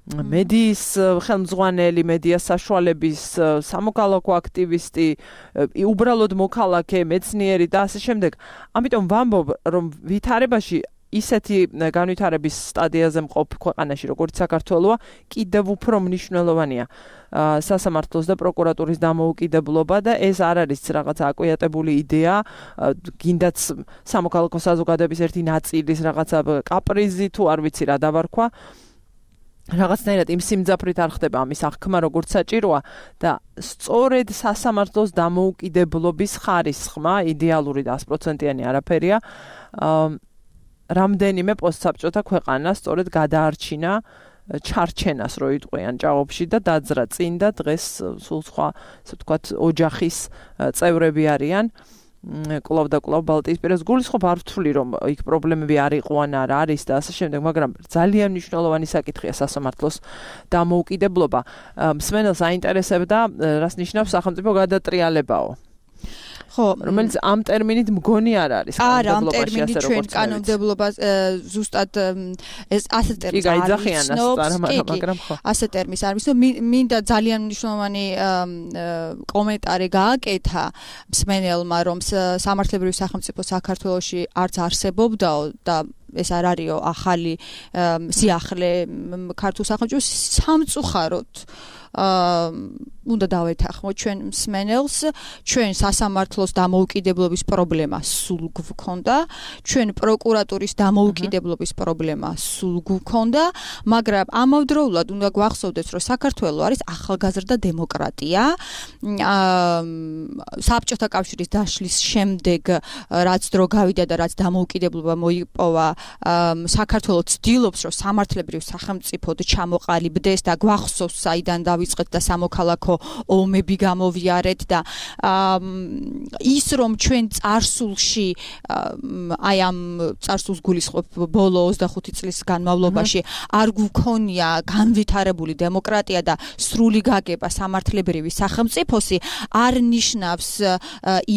მედიის ხელმძღვანელი, მედიას საშუალების სამოქალაქო აქტივისტი, უბრალოდ მოქალაქე, მეცნიერი და ასე შემდეგ. ამიტომ ვამბობ, რომ ვითარებაში ისეთი განვითარების სტადიაზე მყოფ ქვეყანაში, როგორც საქართველოა, კიდევ უფრო მნიშვნელოვანია სასამართლოს და პროკურატურის დამოუკიდებლობა და ეს არ არის რაღაც აკვიატებული იდეა, გინდაც სამოქალაქო საზოგადოების ერთი ნაწილის რაღაცა კაპრიზი თუ არ ვიცი რა დავარქვა. რაღაცნაირად იმ სიმძაფრით არ ხდება ამის აღქმა როგორც საჭიროა და სწორედ სასამართლოს დამოუკიდებლობის ხარისხმა იდეალური და sto პროცენტიანი არაფერია რამდენიმე პოსტსაბჭოთა ქვეყანა სწორედ გადაარჩინა ჩარჩენას რო იტყვიან ჭაღობში და დაძრა წინ და დღეს სულ სხვა ასე ვთქვათ ოჯახის წევრები არიან კლავ და კლავ ბალტიისპირას გულისხმობ არ ვთვლი რომ იქ პრობლემები არ იყო ან არ არის და ასე შემდეგ მაგრამ ძალიან მნიშვნელოვანი საკითხია სასამართლოს დამოუკიდებლობა მსმენელს აინტერესებდა რას ნიშნავს სახელმწიფო გადატრიალებაო ხო რომელიც ამ ტერმინით მგონი არ არის არა ამ ტერმინით ჩვენ კანონმდებლობა ზუსტად ეს ასე ტერმინს არ მაგრამ ხო ასე ტერმინს არ ვიცნობ მინდა ძალიან მნიშვნელოვანი კომენტარი გააკეთა მსმენელმა რომ სამართლებრივი სახელმწიფო საქართველოში არც არსებობდაო და ეს არ არისო ახალი სიახლე ქართულ სახელმწიფოს სამწუხაროდ უნდა დავეთანხმოთ ჩვენ მსმენელს ჩვენ სასამართლოს დამოუკიდებლობის პრობლემა სულ გვქონდა ჩვენ პროკურატურის დამოუკიდებლობის პრობლემა სულ გვქონდა მაგრამ ამავდროულად უნდა გვახსოვდეს რომ საქართველო არის ახალგაზრდა დემოკრატია საბჭოთა კავშირის დაშლის შემდეგ რაც დრო გავიდა და რაც დამოუკიდებლობა მოიპოვა საქართველო ცდილობს რომ სამართლებრივ სახელმწიფოდ ჩამოყალიბდეს და გვახსოვს საიდან დავიწყეთ და სამოქალაქო ომები გამოვიარეთ და ის რომ ჩვენ წარსულში აი ამ წარსულს გულისხმობ ბოლო ოცდახუთი წლის განმავლობაში არ გვქონია განვითარებული დემოკრატია და სრული გაგება სამართლებრივი სახელმწიფოსი არ ნიშნავს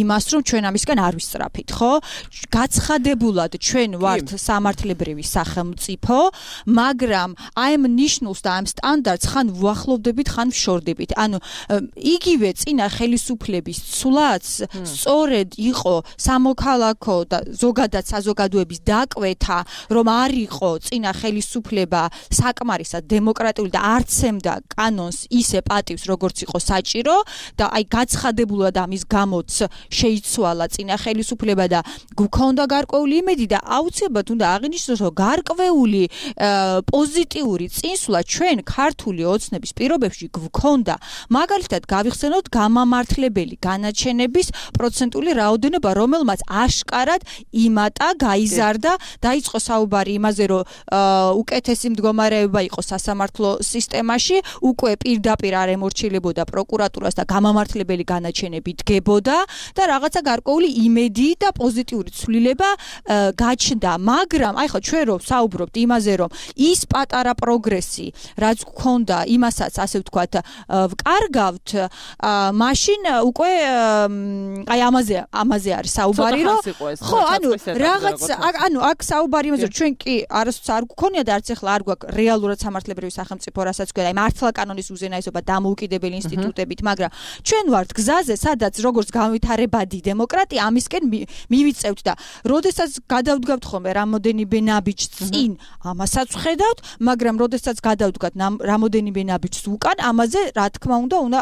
იმას რომ ჩვენ ამისგან არ ვისწრაფით ხო გაცხადებულად ჩვენ ვართ სამართლებრივი სახელმწიფო მაგრამ აი ამ ნიშნულს და ამ სტანდარტს ხან ვუახლოვდებით ხან ვშორდებით ანუ იგივე წინა ხელისუფლების ცვლაც სწორედ იყო სამოქალაქო და ზოგადად საზოგადოების დაკვეთა რომ არ იყო წინა ხელისუფლება საკმარისად დემოკრატიული და არცემდა კანონს ისე პატივს როგორც იყო საჭირო და აი გაცხადებულად ამის გამოც შეიცვალა წინა ხელისუფლება და გვქონდა გარკვეული იმედი და აუცილებლად უნდა აღინიშნოს რომ გარკვეული პოზიტიური წინსვლა ჩვენ ქართული ოცნების პირობებში გვქონდა მაგალითად გავიხსენოთ გამამართლებელი განაჩენების პროცენტული რაოდენობა რომელმაც აშკარად იმატა გაიზარდა დაიწყო საუბარი იმაზე რომ უკეთესი მდგომარეობა იყო სასამართლო სისტემაში უკვე პირდაპირ არ ემორჩილებოდა პროკურატურას და გამამართლებელი განაჩენები დგებოდა და რაღაცა გარკვეული იმედი და პოზიტიური ცვლილება გაჩნდა მაგრამ აი ხო ჩვენ რომ საუბრობთ იმაზე რომ ის პატარა პროგრესი რაც გვქონდა იმასაც ასე ვთქვათ, ვკარგავთ, მაშინ უკვე აი ამაზე ამაზე არის საუბარი, რომ ხო, ანუ რაღაც ანუ აქ საუბარი იმაზე, რომ ჩვენ კი არასდროს არ გქონია და არც ახლა არ გვაქვს რეალურად სამართლებრივი სახელმწიფო, რასაც გვქონდა, აი მართლა კანონის უზენაესობა დამოუკიდებელი ინსტიტუტებით, მაგრამ ჩვენ ვართ გზაზე, სადაც როგორც განვითარებადი დემოკრატია ამისკენ მივიწევთ და როდესაც გადავდგავთ ხოლმე რამოდენიმე ნაბიჯს წინ, ამასაც ვხედავთ, მაგრამ როდესაც გადავდგათ რამოდენიმე ნაბიჯს უკან, ამაზე რა თქმა უნდა უნდა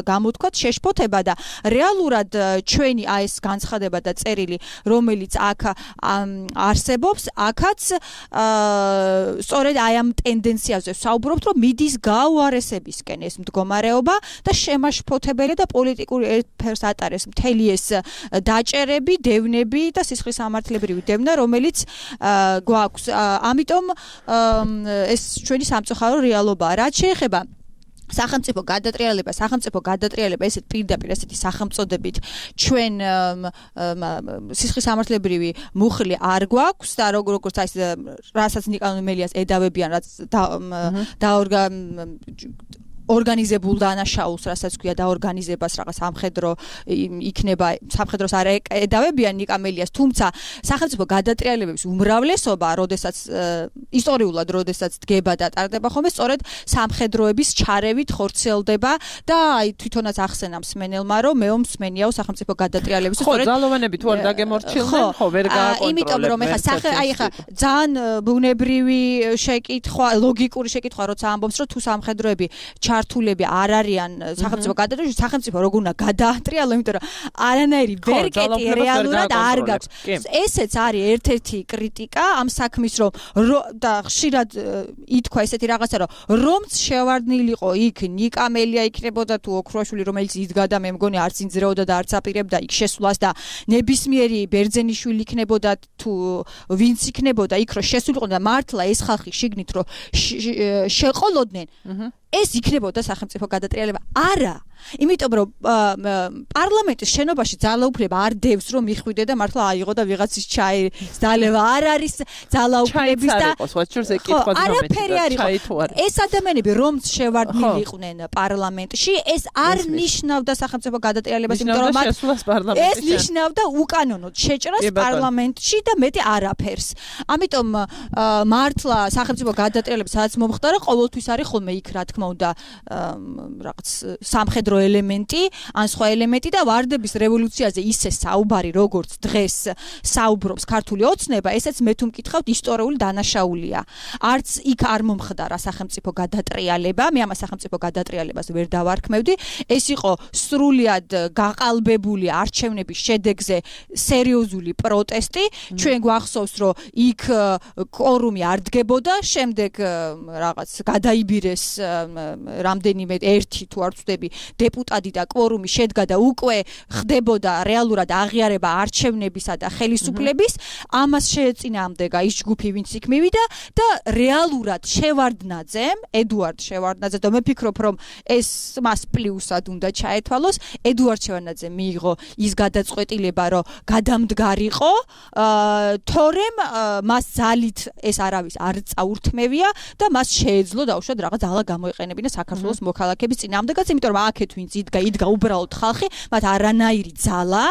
გამოთქვათ შეშფოთება და რეალურად ჩვენი აი ეს განცხადება და წერილი, რომელიც აქ არსებობს, აქაც სწორედ აი ამ ტენდენციაზე საუბრობთ, რომ მიდის გაუარესებისკენ ეს მდგომარეობა და შემაშფოთებელი და პოლიტიკური ერთფერს ატარეს მთელი ეს დაჭერები, დევნები და სისხლის სამართლებრივი დევნა, რომელიც გვაქვს. ამიტომ ეს ჩვენი სამწუხარო რეალობაა. რაც შეეხება სახელმწიფო გადატრიალება, სახელმწიფო გადატრიალება ესეთ პირდაპირ ესეთი სახელმწოდებით ჩვენ სისხლის სამართლებრივი მუხლი არ გვაქვს და როგორც აი რასაც ნიკანორ მელიას ედავებიან, რაც დაორგა ორგანიზებულ დანაშაულს, რასაც ქვია დაორგანიზებას, რაღაც სამხედრო იქნება, სამხედროს არ ედავებიან ნიკამელიას, თუმცა სახელმწიფო გადატრიალებების უმრავლესობა, როდესაც ისტორიულად, როდესაც დგება და ტარდება ხოლმე, სწორედ სამხედროების ჩარევით ხორციელდება და აი თვითონაც ახსენა მსმენელმა, რომ მეო მსმენიაო სახელმწიფო გადატრიალების სწორედ ხო, ძალოვანები თუ არ დაგემორჩილდნენ, ხო, ვერ გააკონტროლებენ. იმიტომ რომ ეხა აი ეხა ძალიან ბუნებრივი შეკითხვა, ლოგიკური შეკითხვა, როცა ამბობს, რომ თუ სამხედროები ჩართულები არ არიან სახელმწიფო გადატრიალებში, სახელმწიფო როგორ უნდა გადაატრიალო, იმიტომ რომ არანაირი ვერკეტი რეალურად არ გაქვს. ესეც არის ერთ-ერთი კრიტიკა ამ საქმის, რომ და ხშირად ითქვა ესეთი რაღაცა, რომ რომც შევარდნილიყო იქ ნიკამელია იქნებოდა თუ ოქროაშვილი, რომელიც იდგა და მე მგონი არც ინძრეოდა და არც აპირებდა იქ შესვლას და ნებისმიერი ბერძენიშვილი იქნებოდა თუ ვინც იქნებოდა იქ რომ შესულიყო და მართლა ეს ხალხი შიგნით რომ შეყოლოდნენ, ეს იქნებოდა სახელმწიფო გადატრიალება. არა, იმიტომ რომ პარლამენტის შენობაში ძალაუფლება არ დევს რომ მიხვიდე და მართლა აიღო და ვიღაცის ჩაეძალება. არ არის ძალაუფლების და არაფერი არ იყო. ეს ადამიანები რომც შევარდნილი იყვნენ პარლამენტში, ეს არ ნიშნავდა სახელმწიფო გადატრიალებას, იმიტომ რომ ეს ნიშნავდა უკანონოდ შეჭრას პარლამენტში და მეტი არაფერს. ამიტომ მართლა სახელმწიფო გადატრიალება სადაც მომხდარა, ყოველთვის არის ხოლმე იქ რა თქმა უნდა რაღაც სამხედრო ელემენტი, ან სხვა ელემენტი და ვარდების რევოლუციაზე ისე საუბარი, როგორც დღეს საუბრობს ქართული ოცნება, ესეც მე თუ მკითხავთ ისტორიული დანაშაულია. არც იქ არ მომხდარა სახელმწიფო გადატრიალება, მე ამას სახელმწიფო გადატრიალებას ვერ დავარქმევდი. ეს იყო სრულიად გაყალბებული არჩევნების შედეგზე სერიოზული პროტესტი. ჩვენ გვახსოვს, რომ იქ კვორუმი არ დგებოდა, შემდეგ რაღაც გადაიბირეს რამდენიმე ერთი თუ არ ვწდები დეპუტატი და კვორუმი შედგა და უკვე ხდებოდა რეალურად აღიარება არჩევნებისა და ხელისუფლების. ამას შეეწინააღმდეგა ის ჯგუფი, ვინც იქ მივიდა და რეალურად შევარდნაძემ, ედუარდ შევარდნაძე და მე ფიქრობ, რომ ეს მას პლუსად უნდა ჩაეთვალოს. ედუარდ შევარდნაძემ მიიღო ის გადაწყვეტილება, რომ გადამდგარიყო, თორემ მას ძალით ეს არავის არ წაურთმევია და მას შეეძლო დაუშვათ რაღაც ძალა გამოეყენებინა საქართველოს მოქალაქეების წინააღმდეგაც, იმიტომ რომ აქეთ ვინც იდგა, იდგა უბრალოდ ხალხი, მათ არანაირი ძალა,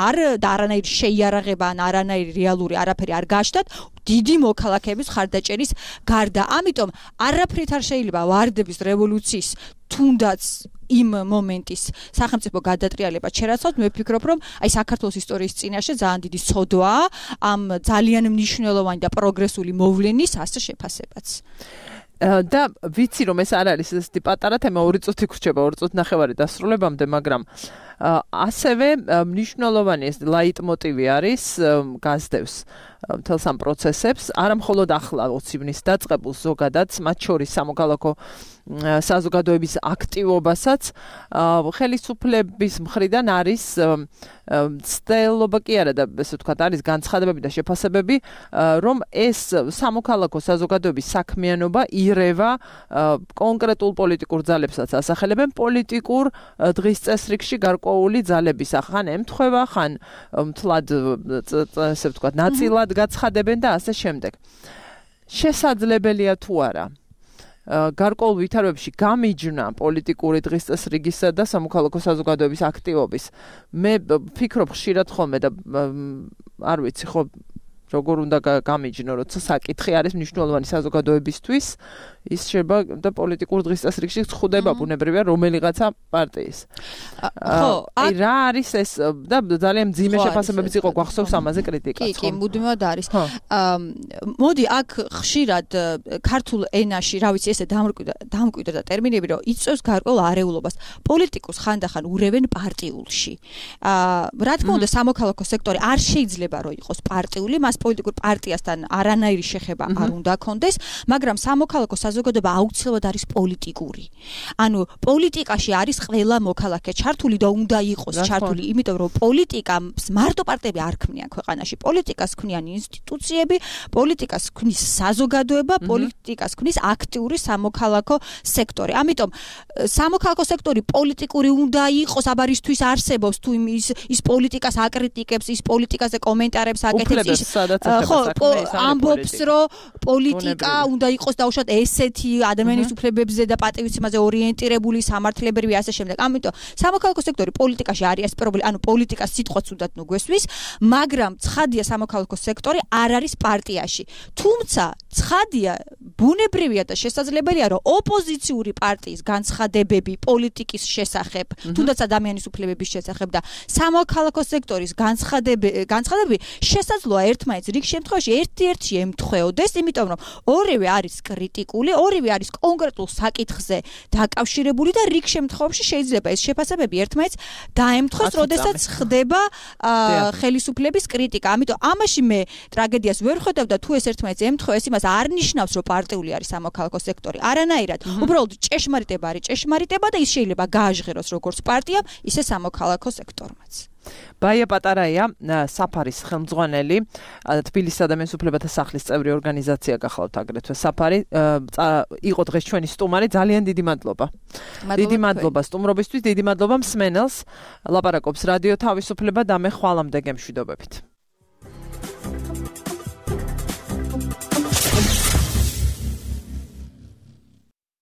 არ და არანაირი შეიარაღება, ან არანაირი რეალური არაფერი არ გააჩნდათ დიდი მოქალაქეების ხარდაჭერის გარდა. ამიტომ არაფრით არ შეიძლება ვარდების რევოლუციის თუნდაც იმ მომენტის სახელმწიფო გადატრიალება ჩერაცავთ. მე ვფიქრობ, რომ აი საქართველოს ისტორიის წინაშე ძალიან დიდი სოდვაა ამ ძალიან მნიშვნელოვანი და პროგრესული მოვლენის ასე შეფასებაც. და ვიცი რომ ეს არ არის ესეთი პატარა თემა, ორი წუთი გრჩება, ორი წუთი ნახევარი დასრულებამდე, მაგრამ ასევე მნიშვნელოვანი ეს ლაიტმოტივი არის, გასდევს მთელს ამ პროცესებს, არა მხოლოდ ახლა ოცი ივნის დაწყებულს, ზოგადად მათ შორის სამოქალაქო საზოგადოების აქტივობასაც ხელისუფლების მხრიდან არის ცდელობა კი არა და ესე ვთქვათ, არის განცხადებები და შეფასებები, რომ ეს სამოქალაქო საზოგადოების საქმიანობა ირევა კონკრეტულ პოლიტიკურ ძალებსაც ასახელებენ პოლიტიკურ დღის წესრიგში გარკვეული ძალების, ხან ემთხვევა, ხან მთლად ესე ვთქვათ, ნაწილად გაცხადებენ და ასე შემდეგ. შესაძლებელია თუ არა გარკვეულ ვითარებებში გამიჯნა პოლიტიკური დღის წესრიგისა და სამოქალაქო საზოგადოების აქტივობის. მე ვფიქრობ ხშირად ხოლმე და არ ვიცი ხო როგორ უნდა გამიჯნო, როცა საკითხი არის მნიშვნელოვანი საზოგადოებისთვის, ის შეიძლება და პოლიტიკურ დღის წესრიგში ხდება ბუნებრივია რომელიღაცა პარტიის. ხო, აი რა არის ეს და ძალიან მძიმე შეფასებებიც იყო გვახსოვს ამაზე კრიტიკაც. კი, კი, მუდმივად არის. მოდი აქ ხშირად ქართულ ენაში, რა ვიცი, ესე დამკვიდრდა ტერმინები, რომ იწვევს გარკვეულ არეულობას. პოლიტიკოს ხანდახან ურევენ პარტიულში. რა თქმა უნდა, სამოქალაქო სექტორი არ შეიძლება რომ იყოს პარტიული, მას პოლიტიკურ პარტიასთან არანაირი შეხება არ უნდა ქონდეს, მაგრამ სამოქალაქო საზოგადოება აუცილებლად არის პოლიტიკური. ანუ პოლიტიკაში არის ყველა მოქალაქე ჩართული და უნდა იყოს ჩართული, იმიტომ რომ პოლიტიკას მარტო პარტიები არ ქმნიან ქვეყანაში. პოლიტიკას ქმნიან ინსტიტუციები, პოლიტიკას ქმნის საზოგადოება, პოლიტიკას ქმნის აქტიური სამოქალაქო სექტორი. ამიტომ სამოქალაქო სექტორი პოლიტიკური უნდა იყოს, აბარისთვის არსებობს თუ ის ის პოლიტიკას აკრიტიკებს, ის პოლიტიკაზე კომენტარებს აკეთებს, ის ხო, ამბობს, რომ პოლიტიკა უნდა იყოს დაუშვათ ესეთი ადამიანის უფლებებზე და პატივისცემაზე ორიენტირებული, სამართლებრივი ასე შემდეგ. ამიტომ სამოქალაქო სექტორი პოლიტიკაში არის ეს პრობლემა, ანუ პოლიტიკას სიტყვაც უნდათ ნუ გვესვის, მაგრამ ცხადია სამოქალაქო სექტორი არ არის პარტიაში. თუმცა ცხადია, ბუნებრივია და შესაძლებელია, რომ ოპოზიციური პარტიის განცხადებები პოლიტიკის შესახებ, თუნდაც ადამიანის უფლებების შესახებ და სამოქალაქო სექტორის განცხადებები შესაძლოა ერთმანეთს რიგ შემთხვევაში ერთ-ერთში ემთხვეოდეს, იმიტომ რომ ორივე არის კრიტიკული, ორივე არის კონკრეტულ საკითხზე დაკავშირებული და რიგ შემთხვევაში შეიძლება ეს შეფასებები ერთმანეთს დაემთხვეს, როდესაც ხდება ხელისუფლების კრიტიკა. ამიტომ ამაში მე ტრაგედიას ვერ ხედავ და თუ ეს ერთმანეთს ემთხვევეს, იმას არ ნიშნავს, რომ პარტიული არის სამოქალაქო სექტორი. არანაირად. უბრალოდ ჭეშმარიტება არის ჭეშმარიტება და ის შეიძლება გააჟღეროს როგორც პარტიამ, ისე სამოქალაქო სექტორმაც. ბაია პატარაია, საფარის ხელმძღვანელი, თბილისის ადამიანის უფლებათა სახლის წევრი ორგანიზაცია გახლავთ აგრეთვე საფარი, იყო დღეს ჩვენი სტუმარი, ძალიან დიდი მადლობა. დიდი მადლობა სტუმრობისთვის, დიდი მადლობა მსმენელს. ლაპარაკობს რადიო თავისუფლება და მე ხვალამდე გემშვიდობებით.